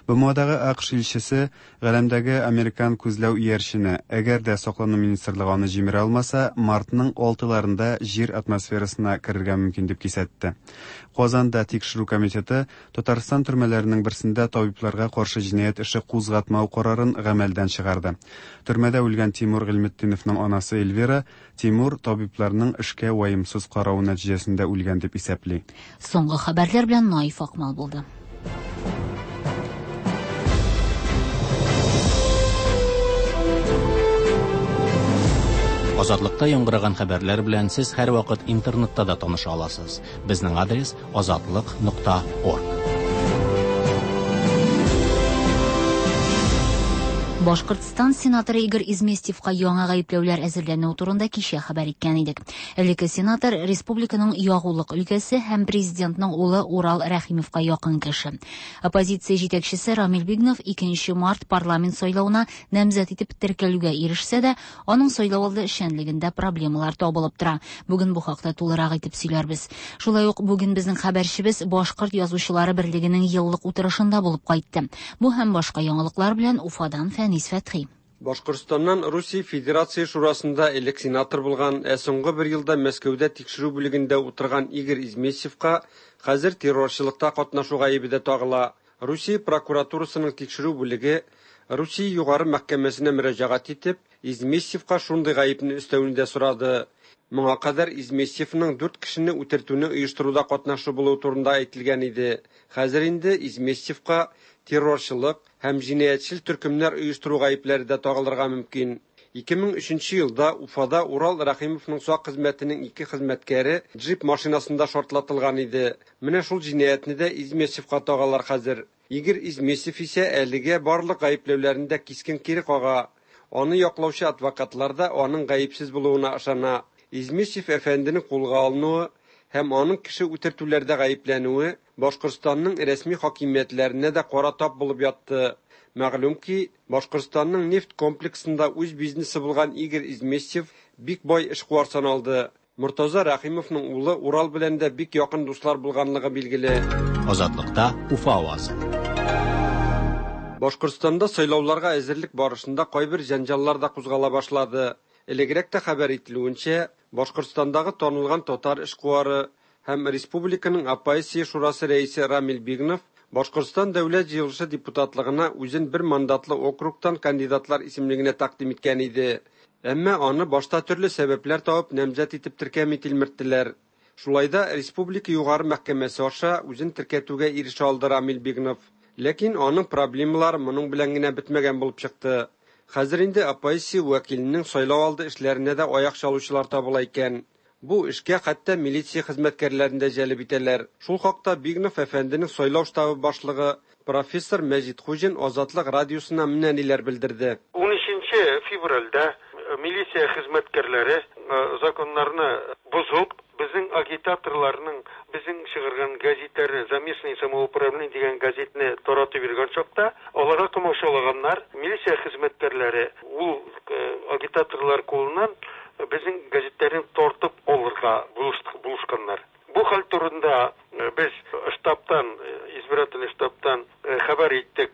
БМОдагы АКШ илчесе галәмдәге американ күзләү иярчене, әгәр дә саклану министрлыгы аны җимерә алмаса, мартның 6-ларында җир атмосферасына керергә мөмкин дип кисәтте. Казанда тикшерү комитеты Татарстан төрмәләренең берсендә табибларга каршы җинаять эше кузгатмау карарын гамәлдән чыгарды. Төрмәдә үлгән Тимур Гыйльметдиновның анасы Эльвира Тимур табибларның эшкә ваемсыз каравы нәтиҗәсендә үлгән дип исәпли. Соңгы хәбәрләр белән Наиф Акмал булды. Азатлыкта яңгыраган хәбәрләр белән сез һәрвакыт интернетта да таныша аласыз. Безнең адрес азатлык.орг. Башкортстан сенаторы Игорь Изместьевка яңа гаепләүләр әзерләнүе турында кичә хәбәр иткән идек. Элекке сенатор республиканың ягулык өлкәсе һәм президентның улы Урал Рәхимовка якын кеше. Оппозиция җитәкчесе Рамил Бигнов 2 март парламент сайлавына намзәт итеп теркәлүгә ирешсә дә, аның сайлау алды эшчәнлегендә проблемалар табылып тора. Бүген бу хакта тулырак итеп сөйләрбез. Шулай ук бүген безнең хәбәрчебез Башкорт язучылары берлегенең еллык утырышында булып кайтты. Бу һәм башка яңалыклар белән Уфадан Фәнис Фәтхи. Башкортстаннан Русия Федерация Шурасында элек сенатор булган, ә соңгы бер елда Мәскәүдә тикшерү бүлегендә утырган Игорь Изместьевка хәзер террорчылыкта катнашу гаебе дә тагыла. Русия прокуратурасының тикшерү бүлеге Русия югары мәхкәмәсенә мөрәҗәгать итеп, Изместьевка шундый гаепне өстәүне дә сорады. Моңа кадәр Изместьевның дүрт кешене үтертүне оештыруда катнашы булуы турында әйтелгән иде. Хәзер инде Изместьевка террорчылык һәм җинаятьчел төркемнәр оештыру гаепләре дә тагылырга мөмкин. 2003 елда Уфада Урал Рәхимовның сак хезмәтенең ике хезмәткәре джип машинасында шартлатылган иде. Менә шул җинаятьне дә Измесевка тагалар хәзер. Игорь Измесев исә әлегә барлык гаепләүләрне дә кискен кире кага. Аны яклаучы адвокатлар да аның гаепсез булуына ышана. Измесев әфәнденең кулга алынуы һәм аның кеше үтертүләрдә гаепләнүе Башкортстанның рәсми хакимиятләренә дә кара тап булып ятты. Мәгълүм ки, Башкортстанның нефть комплексында үз бизнесы булган Игорь Изместьев бик бай эшкуар саналды. Мортаза Рәхимовның улы Урал белән дә бик якын дуслар булганлыгы билгеле. Азатлыкта Уфа авазы. Башкортстанда сайлауларга әзерлек барышында кайбер җәнҗаллар да кузгала башлады. Элегрәк тә хәбәр ителүенчә, Башкортстандагы танылган татар эшкуары һәм республиканың оппозиция шурасы рәисе Рамил Бигнов Башкортстан Дәүләт җыелышы депутатлыгына үзен бер мандатлы округтан кандидатлар исемлегенә тәкъдим иткән иде. Әмма аны башта төрле сәбәпләр табып намзәт итеп теркәми тилмерттеләр. Шулай да республика югары мәхкәмәсе аша үзен теркәтүгә ирешә алды Рамил Бигнов. Ләкин аның проблемалары моның белән генә бетмәгән булып чыкты. Хәзер инде оппозиция вәкиленең сайлау алды эшләренә дә аяк чалучылар табыла икән. Бу эшкә хәтта милиция хезмәткәрләрен дә җәлеп итәләр. Шул хакта Бигнов әфәнденең сайлау штабы башлыгы профессор Мәҗит Хуҗин Азатлык радиосына менә ниләр белдерде. 13 февральдә милиция хезмәткәрләре законнарны бозып, безнең агитаторларның безнең чыгарган гәзитләрне, За местное самоуправление дигән гәзитне таратып йөргән чакта, аларга комачаулаганнар. Милиция хезмәткәрләре ул агитаторлар кулыннан безнең гәзитләрне тартып алырга булышканнар. Бу хәл турында без штабтан, избирательный штабтан хәбәр иттек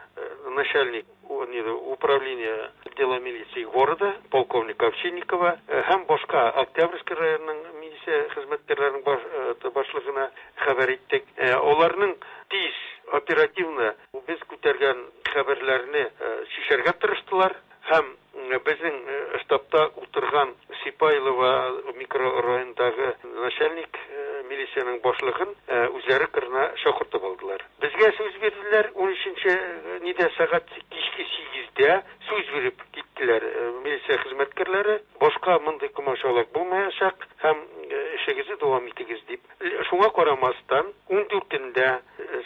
начальник управления отдела милиции города, полковник Овчинникова һәм башка Октябрьский районының милиция хезмәткәрләренең башлыгына хәбәр иттек. Аларның тиз, оперативно без күтәргән хәбәрләрне чишәргә тырыштылар һәм безнең штабта утырган Сипайлова микрорайонындагы начальник милициянең башлыгын үзләре кырына чакыртып алдылар. Безгә сүз бирделәр, 13-нче нидә сәгать кичке 8-дә сүз биреп киттеләр милиция хезмәткәрләре. Башка мондый комачаулык булмаячак һәм эшегезне дәвам итегез дип. Шуңа карамастан, 14-ндә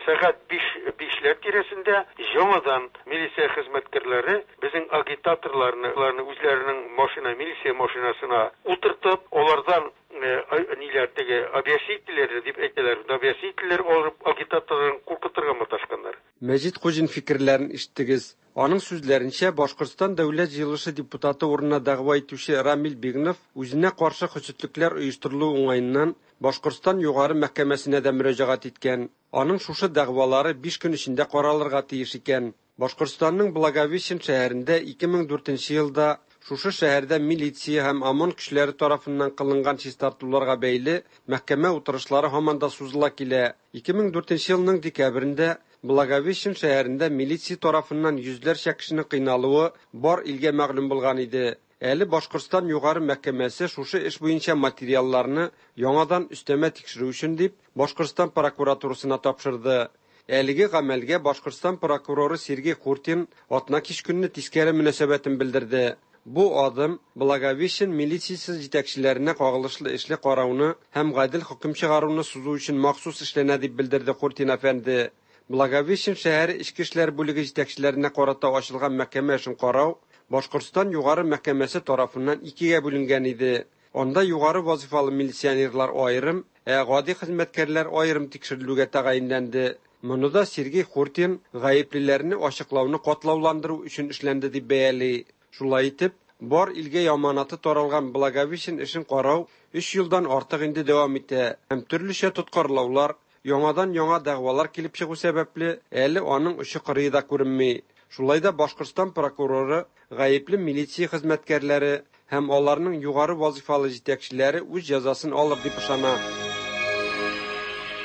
сәгать 5 5ләр тирәсендә яңадан милиция хезмәткәрләре безнең агитаторларны үзләренең машина, милиция машинасына утыртып, алардан ниләр теге объяснительләр дип әйтәләр, объяснительләр алып агитаторларын куркытырга маташканнар. Мәҗит Хуҗин фикерләрен ишеттегез. Аның сүзләренчә, Башкортстан Дәүләт җыелышы депутаты урынына дәгъва итүче Рамил Бигнов үзенә каршы хөсетлекләр оештырылу уңаеннан Башкортстан югары мәхкәмәсенә дә мөрәҗәгать иткән. Аның шушы дәгъвалары 5 көн эчендә каралырга тиеш икән. Башкортстанның Благовещен шәһәрендә 2004 елда шушы шәһәрдә милиция һәм ОМОН көчләре тарафыннан кылынган чистартуларга бәйле мәхкәмә утырышлары һаман да сузыла килә. 2004 елның декабрендә Благовещен шәһәрендә милиция тарафыннан йөзләрчә кешенең кыйналуы бар илгә мәгълүм булган иде. Әле Башкортстан югары мәхкәмәсе шушы эш буенча материалларны яңадан өстәмә тикшерү өчен дип Башкортстан прокуратурасына тапшырды. Әлеге гамәлгә Башкортстан прокуроры Сергей Хуртин атна кич көнне тискәре мөнәсәбәтен белдерде. Бу адым Благовещен милициясе җитәкчеләренә кагылышлы эшле карауны һәм гадел хөкем чыгаруны сузу өчен махсус эшләнә дип белдерде Хуртин әфәнде. Благовещен шәһәре эчке эшләр бүлеге җитәкчеләренә карата ачылган мәхкәмә эшен карау Башкортстан югары мәхкәмәсе тарафыннан икегә бүленгән иде. Анда югары вазифалы милиционерлар аерым, ә гади хезмәткәрләр аерым тикшерелүгә тәгаенләнде. Моны да Сергей Хуртин гаеплеләрне ачыклауны катлауландыру өчен эшләнде дип бәяли. Шулай итеп, бар илгә яманаты таралган Благовещен эшен карау 3 елдан артык инде дәвам итә һәм төрлечә тоткарлаулар, яңадан яңа дәгъвалар килеп чыгу сәбәпле, әле аның очы кырые да күренми. Шулай да Башкортстан прокуроры гаепле милиция хезмәткәрләре һәм аларның югары вазифалы җитәкчеләре үз җәзасын алыр дип ышана.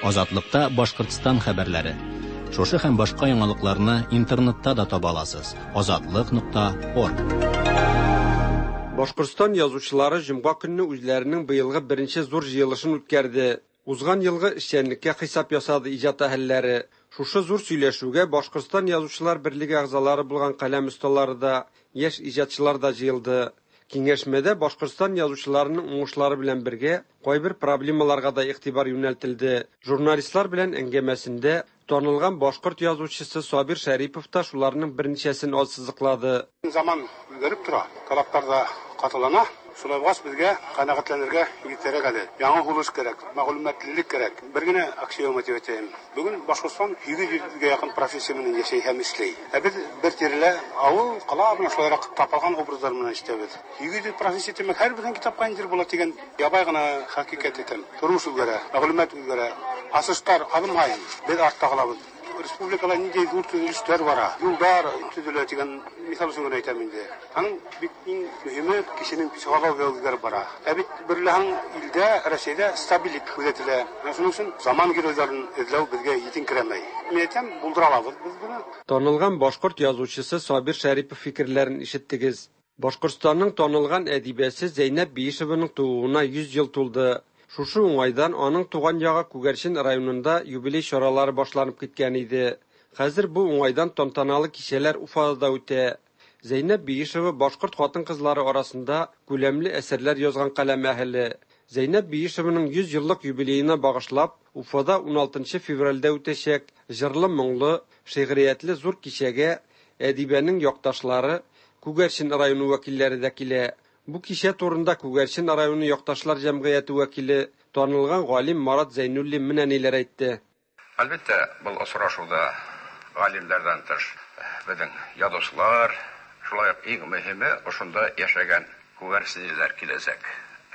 Азатлыкта Башкортстан хәбәрләре. Шушы һәм башка яңалыкларны интернетта да таба аласыз. Азатлык.орг. Башкортстан язучылары җомга көнне үзләренең быелгы беренче зур җыелышын үткәрде. Узган елгы эшчәнлеккә хисап ясады иҗат әһелләре. Шушы зур сөйләшүгә Башкортстан язучылар берлеге әгъзалары булган каләм осталары да, яшь иҗатчылар да җыелды. Киңәшмәдә Башкортстан язучыларының уңышлары белән бергә кайбер проблемаларга да игътибар юнәлтелде. Журналистлар белән әңгәмәсендә танылган башкорт язучысы Сабир Шәрипов та шуларның берничәсен ассызыклады. Заман үзгәреп тора, таләпләр дә катылана. Шулай булгач, безгә канәгатьләнергә иртәрәк әле. Яңа һулыш кирәк, мәгълүматлылык кирәк. Бер генә аксиома дип әйтәем. Бүген Башкортстан 800 гә якын профессия белән яшәй һәм эшли. Ә без бер тирәлә авыл, кала менә шулайрак тапалган образлар белән эшләбез. 800 профессия димәк, һәрберсенең китапка индер була дигән ябай гына хакыйкать әйтәм. Тормыш үзгәрә, мәгълүмат үзгәрә. Асыштар адым һаен без артта калабыз. Республикада нинди зур төзелешләр бара, юлдар төзелә дигән мисал өчен генә әйтәм инде. Аның бик иң мөһиме кешенең психология үзгәреп бара. Ә бит берләһәң илдә, Россиядә стабильлек күзәтелә. Менә шуның өчен заман геройларын эзләү безгә җитенкерәмәй. Мин әйтәм, булдыра алабыз без моны. Танылган башкорт язучысы Сабир Шәрипов фикерләрен ишеттегез. Башкортстанның танылган әдибәсе Зәйнәб Биишеваның тууына 100 ел тулды. Шушы уңайдан аның туган ягы Күгәрчен районында юбилей чаралары башланып киткән иде. Хәзер бу уңайдан тантаналы кичәләр Уфада да үтә. Зәйнәб Биишева башкорт хатын-кызлары арасында күләмле әсәрләр язган каләм әһеле. Зәйнәб Биишеваның 100 еллык юбилеена багышлап, Уфада 16 февральдә үтәчәк җырлы-моңлы, шигъриятле зур кичәгә әдибәнең якташлары, Күгәрчен районы вәкилләре дә килә. Бу кичә турында Күгәрчен районы якташлар җәмгыяте вәкиле, танылган галим Марат Зәйнуллин менә ниләр әйтте. Әлбәттә, был осрашуда галимнәрдән тыш безнең язучылар, шулай ук иң мөһиме ошонда яшәгән күгәрченлеләр киләчәк.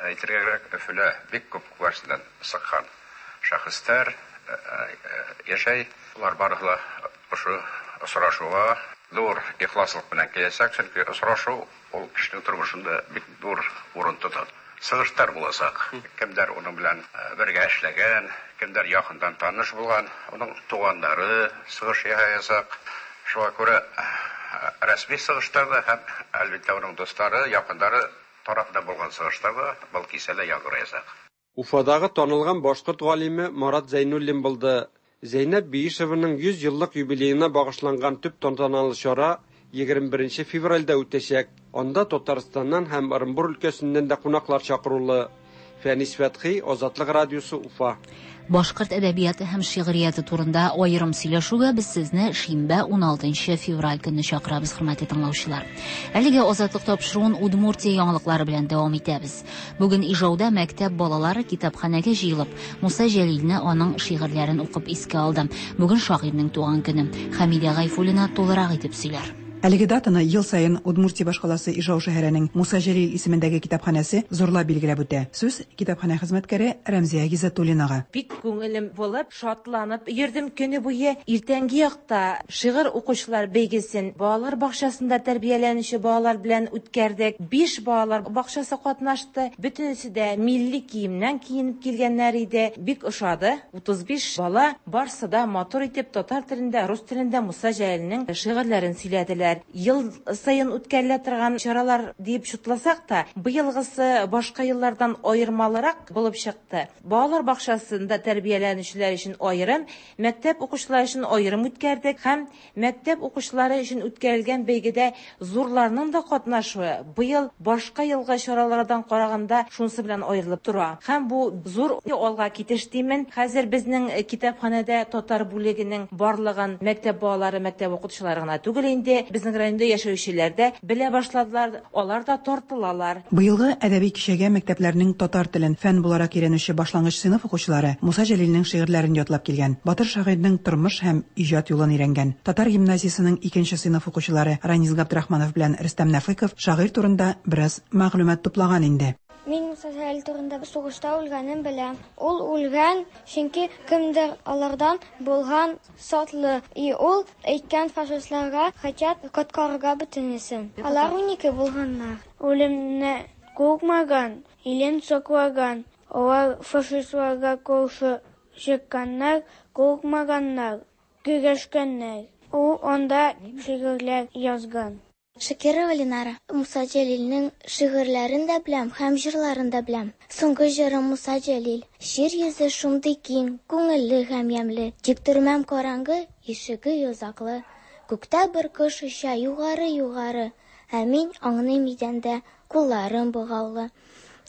Әйтергә кирәк, Өфөлә бик күп күгәрченнән чыккан шәхесләр яшәй. Улар барысы да ошо осрашуга зур ихласлык белән киләчәк, чөнки осрашу ул кешенең тормышында бик зур урын тота. Сыгыштар булачак. Кемдер уның белән бергә эшләгән, кемдер якындан таныш булган, уның туганнары сыгыш ясаячак. Шуңа күрә рәсми сыгыштар да һәм әлбәттә уның дуслары, якыннары тарафыннан булган сыгыштар да был кичәдә яңгыраячак. Уфадагы танылган башкорт галиме Марат Зәйнуллин булды. Зәйнәб Биишеваның 100 еллык юбилеена багышланган төп тантаналы чара 21 февральдә үтәчәк. Анда Татарстаннан һәм Ырынбур өлкәсеннән дә кунаклар чакырулы. Фәнис Фәтхи, Азатлык радиосы, Уфа. Башкорт әдәбияты һәм шигърияте турында аерым сөйләшүгә без сезне шимбә 16 февраль көнне чакырабыз, хөрмәтле тыңлаучылар. Әлегә Азатлык тапшыруын Удмуртия яңалыклары белән дәвам итәбез. Бүген Ижауда мәктәп балалары китапханәгә җыелып, Муса Җәлилне аның шигырьләрен укып искә алды. Бүген шагыйрьнең туган көне. Хәмидә Гайфуллина тулырак итеп сөйләр. Әлеге датаны ел саен Удмуртия башкаласы Ижау шәһәренең Муса Җәлил исемендәге китапханәсе зурлап билгеләп үтә. Сүз китапханә хезмәткәре Рәмзия Гизатуллинага. Бик күңелем булып, шатланып йөрдем көне буе. Иртәнге якта шигырь укучылар бәйгесен балалар бакчасында тәрбияләнүче балалар белән үткәрдек. 5 балалар бакчасы катнашты. Бөтенесе дә милли киемнән киенеп килгәннәр иде. Бик ошады. 35 бала барсы да матур итеп татар телендә, рус телендә Муса Җәлилнең шигырьләрен сөйләделәр. Ел саен үткәрелә торган чаралар дип шутласак та, быелгысы башка еллардан аермалырак булып чыкты. Балалар бакчасында тәрбияләнүчеләр өчен аерым, мәктәп укучылары өчен аерым үткәрдек һәм мәктәп укучылары өчен үткәрелгән бәйгедә зурларның да катнашуы быел башка елгы чаралардан караганда шунысы белән аерылып тора. Һәм бу зур алга китеш димен. Хәзер безнең китапханәдә татар бүлегенең барлыгын мәктәп балалары, мәктәп укытучылары гына түгел инде, безнең районда яшәүчеләр дә белә башладылар, алар да тартылалар. Быелгы әдәби кичәгә мәктәпләрнең татар телен фән буларак өйрәнүче башлангыч сыйныф укучылары Муса Җәлилнең шигырьләрен ятлап килгән. Батыр шагыйрьнең тормыш һәм иҗат юлын өйрәнгән. Татар гимназиясенең икенче сыйныф укучылары Ранис Габдрахманов белән Рөстәм Нәфыйков шагыйрь турында бераз мәгълүмат туплаган инде. Мин Муса Җәлил турында сугышта үлгәнен беләм. Ул үлгән, чөнки кемдер алардан булган сатлы. И ул әйткән фашистларга хотят коткарырга бөтенесен. Алар 12 булганнар. Үлемне куркмаган, илен саклаган. Алар фашистларга каршы чыкканнар, куркмаганнар, көрәшкәннәр. Ул анда шигырьләр язган. Шакирова Ленара. Муса Җәлилнең шигырьләрен дә беләм һәм җырларын да беләм. Соңгы җырым Муса Җәлил. Җир йөзе шундый киң, күңелле һәм ямьле. Тик төрмәм караңгы, ишеге йозаклы. Күктә бер кош оча югары-югары, ә мин аңлыйм идәндә. Кулларым богаулы.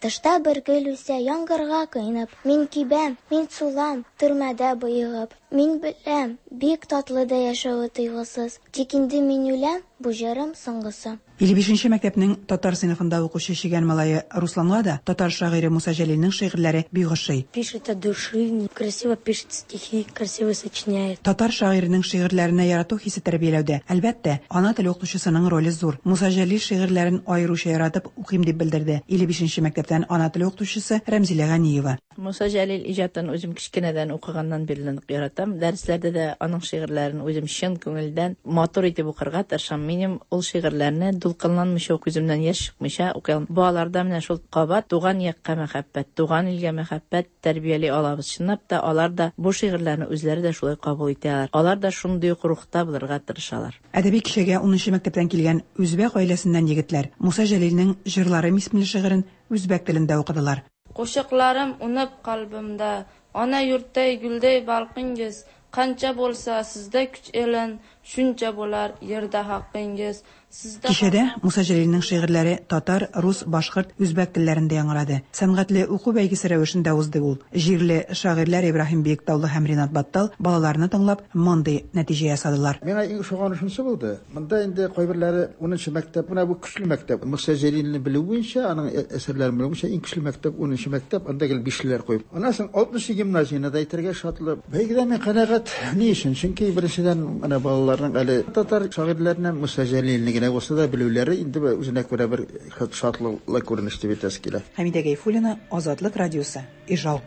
Тышта бер гөл үсә, яңгырга коенып. Мин кибәм, мин сулам, төрмәдә боегып. Мин беләм, бик татлы да яшәве тыйгысыз. Тик инде мин үләм, бу җырым соңгысы. 55 нче мәктәпнең татар сыйныфында укучы чегән малае Русланга да татар шагыйре Муса Җәлилнең шигырьләре бик ошый. Пишет от души, красиво пишет стихи, красиво сочиняет. Татар шагыйренең шигырьләренә ярату хисе тәрбияләүдә, әлбәттә, ана теле укытучысының роле зур. Муса Җәлил шигырьләрен аеруча яратып укыйм, дип белдерде 55 нче мәктәптән ана теле укытучысы Рәмзилә Ганиева. Муса Җәлил иҗатын үзем кечкенәдән укыганнан бирле нык яратам. Дәресләрдә дә аның шигырьләрен үзем чын күңелдән матур итеп укырга тырышам. Минем ул шигырьләрне дулкынланмыйча, күземнән яшь чыкмыйча укый алмыйм. Балаларда менә шул кабат туган якка мәхәббәт, туган илгә мәхәббәт тәрбияли алабыз. Чынлап та, алар да бу шигырьләрне үзләре дә шулай кабул итә алар. Алар да шундый ук рухта булырга тырышалар. Әдәби кичәгә унынчы мәктәптән килгән үзбәк гаиләсеннән егетләр Муса Җәлилнең Җырларым исемле шигырен үзбәк телендә укыдылар. Qo'shiqlarim unib qalbimda, Ona yurtday gulday balqingiz, Qancha bo'lsa sizda kuch elin, Shuncha bo'lar yerda haqqingiz. Sizda Кичәдә Муса Җәлилнең шигырьләре татар, рус, башкорт, үзбәк телләрендә яңгырады. Сәнгатьле уку бәйгесе рәвешендә узды ул. Җирле шагыйрьләр Ибраһим Биектаулы һәм Ринат Баттал балаларны тыңлап, мондый нәтиҗә ясадылар. Миңа иң ошаганы шунысы булды, монда инде кайберләре унынчы мәктәп, менә бу көчле мәктәп. Муса Җәлилне белү буенча, аның әсәрләрен белү буенча иң көчле мәктәп унынчы мәктәп, анда гел бишлеләр куеп. Аннан соң алтынчы гимназияне дә әйтергә шатлы. Бәйгедә мин канәгать. Ни өчен? Чөнки беренчедән, менә балаларның әле татар шагыйрьләренә Муса Җәлилне генә булса да белүләре инде үзенә күрә бер шатлыклы күренеш дип әйтәсе килә. Хәмидә Гайфуллина, Азатлык радиосы, Ижау.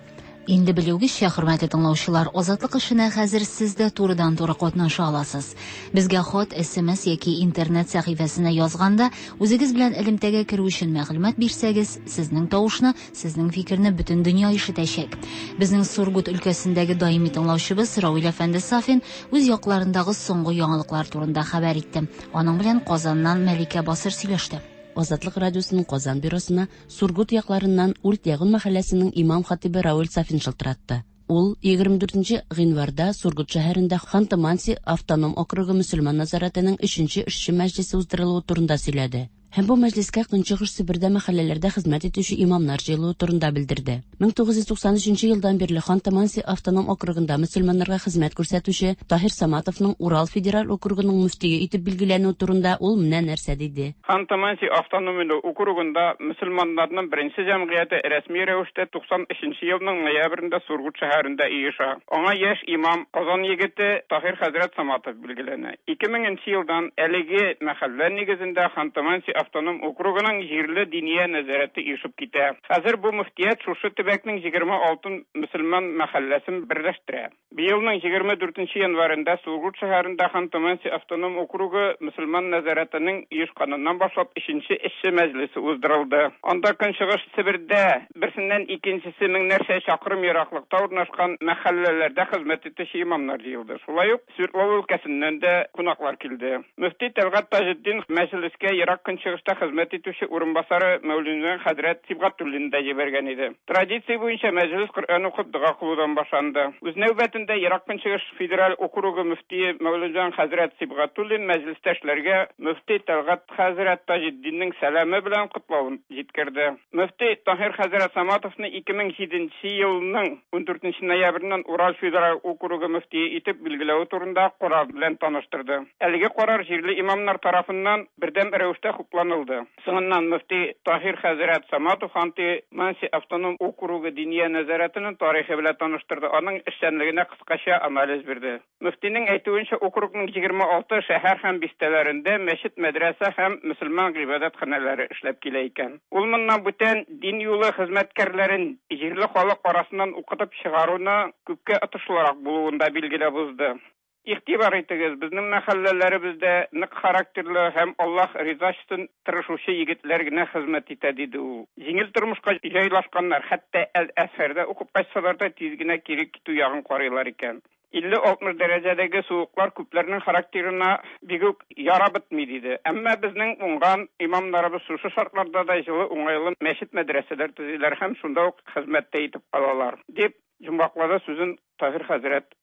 Инде белүегезчә, хөрмәтле тыңлаучылар, Азатлык эшенә хәзер сез дә турыдан-туры катнаша аласыз. Безгә хат, смс яки интернет сәхифәсенә язганда, үзегез белән элемтәгә керү өчен мәгълүмат бирсәгез, сезнең тавышны, сезнең фикерне бөтен дөнья ишетәчәк. Безнең Сургут өлкәсендәге даими тыңлаучыбыз Равил әфәнде Сафин үз якларындагы соңгы яңалыклар турында хәбәр итте. Аның белән Казаннан Мәликә Басыр сөйләште. Азатлык радиосының Казан бюросына Сургут якларыннан Ульт Ягун мәхәлләсенең имам-хатибы Равил Сафин шылтыратты. Ул 24 гыйнварда Сургут шәһәрендә Ханты-Манси автоном округы мөселман нәзарәтенең өченче эшче мәҗлесе уздырылуы турында сөйләде. Һәм бу мәҗлескә Көнчыгыш Себердә мәхәлләләрдә хезмәт итүче имамнар җыелуы турында белдерде. 1993 елдан бирле Ханты-Манси автоном округында мөселманнарга хезмәт күрсәтүче Таһир Саматовның Урал федераль округының мөфтие итеп билгеләнүе турында ул менә нәрсә диде. Ханты-Манси автономияле округында мөселманнарның беренче җәмгыяте рәсми рәвештә 93 нче елның ноябрендә Сургут шәһәрендә оеша. Аңа яшь имам, Казан егете Таһир хәзрәт Саматов билгеләнә. 2000 нче елдан әлеге мәхәллә нигезендә Ханты-Манси автоном округының җирле Диния нәзарәте оешып китә. Хәзер бу мөфтият шушы төбәкнең 26 мөселман мәхәлләсен берләштерә. Быелның 24 нче январендә Сургут шәһәрендә Ханты-Манси автоном округы мөселман нәзарәтенең оешканыннан башлап өченче эшче мәҗлесе уздырылды. Анда Көнчыгыш Себердә берсеннән икенчесе меңнәрчә чакрым ераклыкта урнашкан мәхәлләләрдә хезмәт итүче имамнар җыелды. Шулай ук Свердлов өлкәсеннән дә кунаклар килде. Мөфти Тәлгать Таҗетдинов мәҗлескә Ерак Көнчыгышта хезмәт итүче урынбасары Мәүлүнҗан хәзрәт Сибгатуллинны да җибәргән иде. Традиция буенча мәҗлес Коръән укып дога кылудан башланды. Үз нәүбәтендә Ерак Көнчыгыш федераль округы мөфтие Мәүлүнҗан хәзрәт Сибгатуллин мәҗлестәшләргә мөфти Тәлгать хәзрәт Таҗетдиннең сәламе белән котлавын җиткерде. Мөфти Таһир хәзрәт Саматовны 2007 нче елның ундүртенче ноябреннән Урал федераль округы мөфтие итеп билгеләве турында карар белән таныштырды. Әлеге карар җирле имамнар тарафыннан бердәм рәвештә хупланылды. Соңыннан мөфти Таһир хәзрәт Саматов Ханты-Манси автоном округы Диния нәзарәтенең тарихы белән таныштырды, аның эшчәнлегенә кыскача анализ бирде. Мөфтинең әйтүенчә, округның 26 шәһәр һәм бистәләрендә мәчет, мәдрәсә һәм мөселман гыйбадәтханәләре эшләп килә икән. Ул моннан бүтән дин юлы хезмәткәрләрен җирле халык арасыннан укытып чыгаруны күпкә отышлырак булуын да билгеләп узды. Игътибар итегез, безнең мәхәлләләребездә нык характерлы һәм Аллаһ ризачсын тырышучы егетләр генә хезмәт итә, диде ул. Җиңел тормышка җайлашканнар, хәтта Әл-Әзһәрдә укып кайтсалар да, тиз генә кире китү ягын карыйлар икән. 50-60 дәрәҗәдәге суыклар күпләрнең характерына бик үк ярап бетми, диде. Әмма безнең уңган имамнарыбыз шушы шартларда да җылы, уңайлы мәчет-мәдрәсәләр төзиләр һәм шунда ук хезмәт тә итеп калалар, дип йомгаклады сүзен Таһир хәзрәт.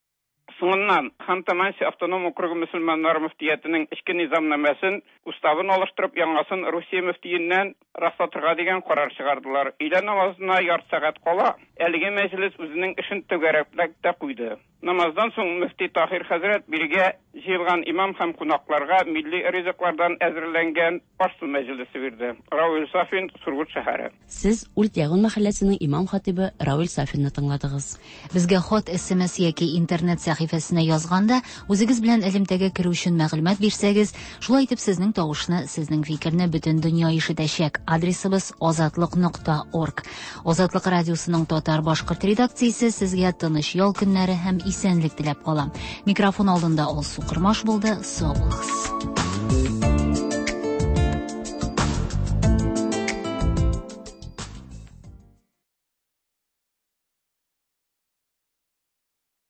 Соңыннан Ханты-Манси автоном округы мөселманнары мөфтиятенең эчке низамнамәсен, уставын алыштырып, яңасын Русия мөфтиеннән раслатырга дигән карар чыгардылар. Өйлә намазына ярты сәгать кала әлеге мәҗлес үзенең эшен түгәрәкләп тә куйды. Намаздан соң мөфти Таһир хәзрәт бирегә җыелган имам һәм кунакларга милли ризыклардан әзерләнгән аш-су мәҗлесе бирде. Равил Сафин, Сургут шәһәре. Сез Ульт-Ягун мәхәлләсенең имам-хатыйбы Равил Сафинны тыңладыгыз. Безгә хат, смс яки интернет сәхифәсенә язганда, үзегез белән элемтәгә керү өчен мәгълүмат бирсәгез, шулай итеп сезнең тавышны, сезнең фикерне бөтен дөнья ишетәчәк. Адресыбыз азатлык нокта орг. Азатлык радиосының татар-башкорт редакциясе сезгә тыныч ял көннәре һәм исәнлек теләп кала. Микрофон алдында Алсу Кормаш булды. Сау булыгыз.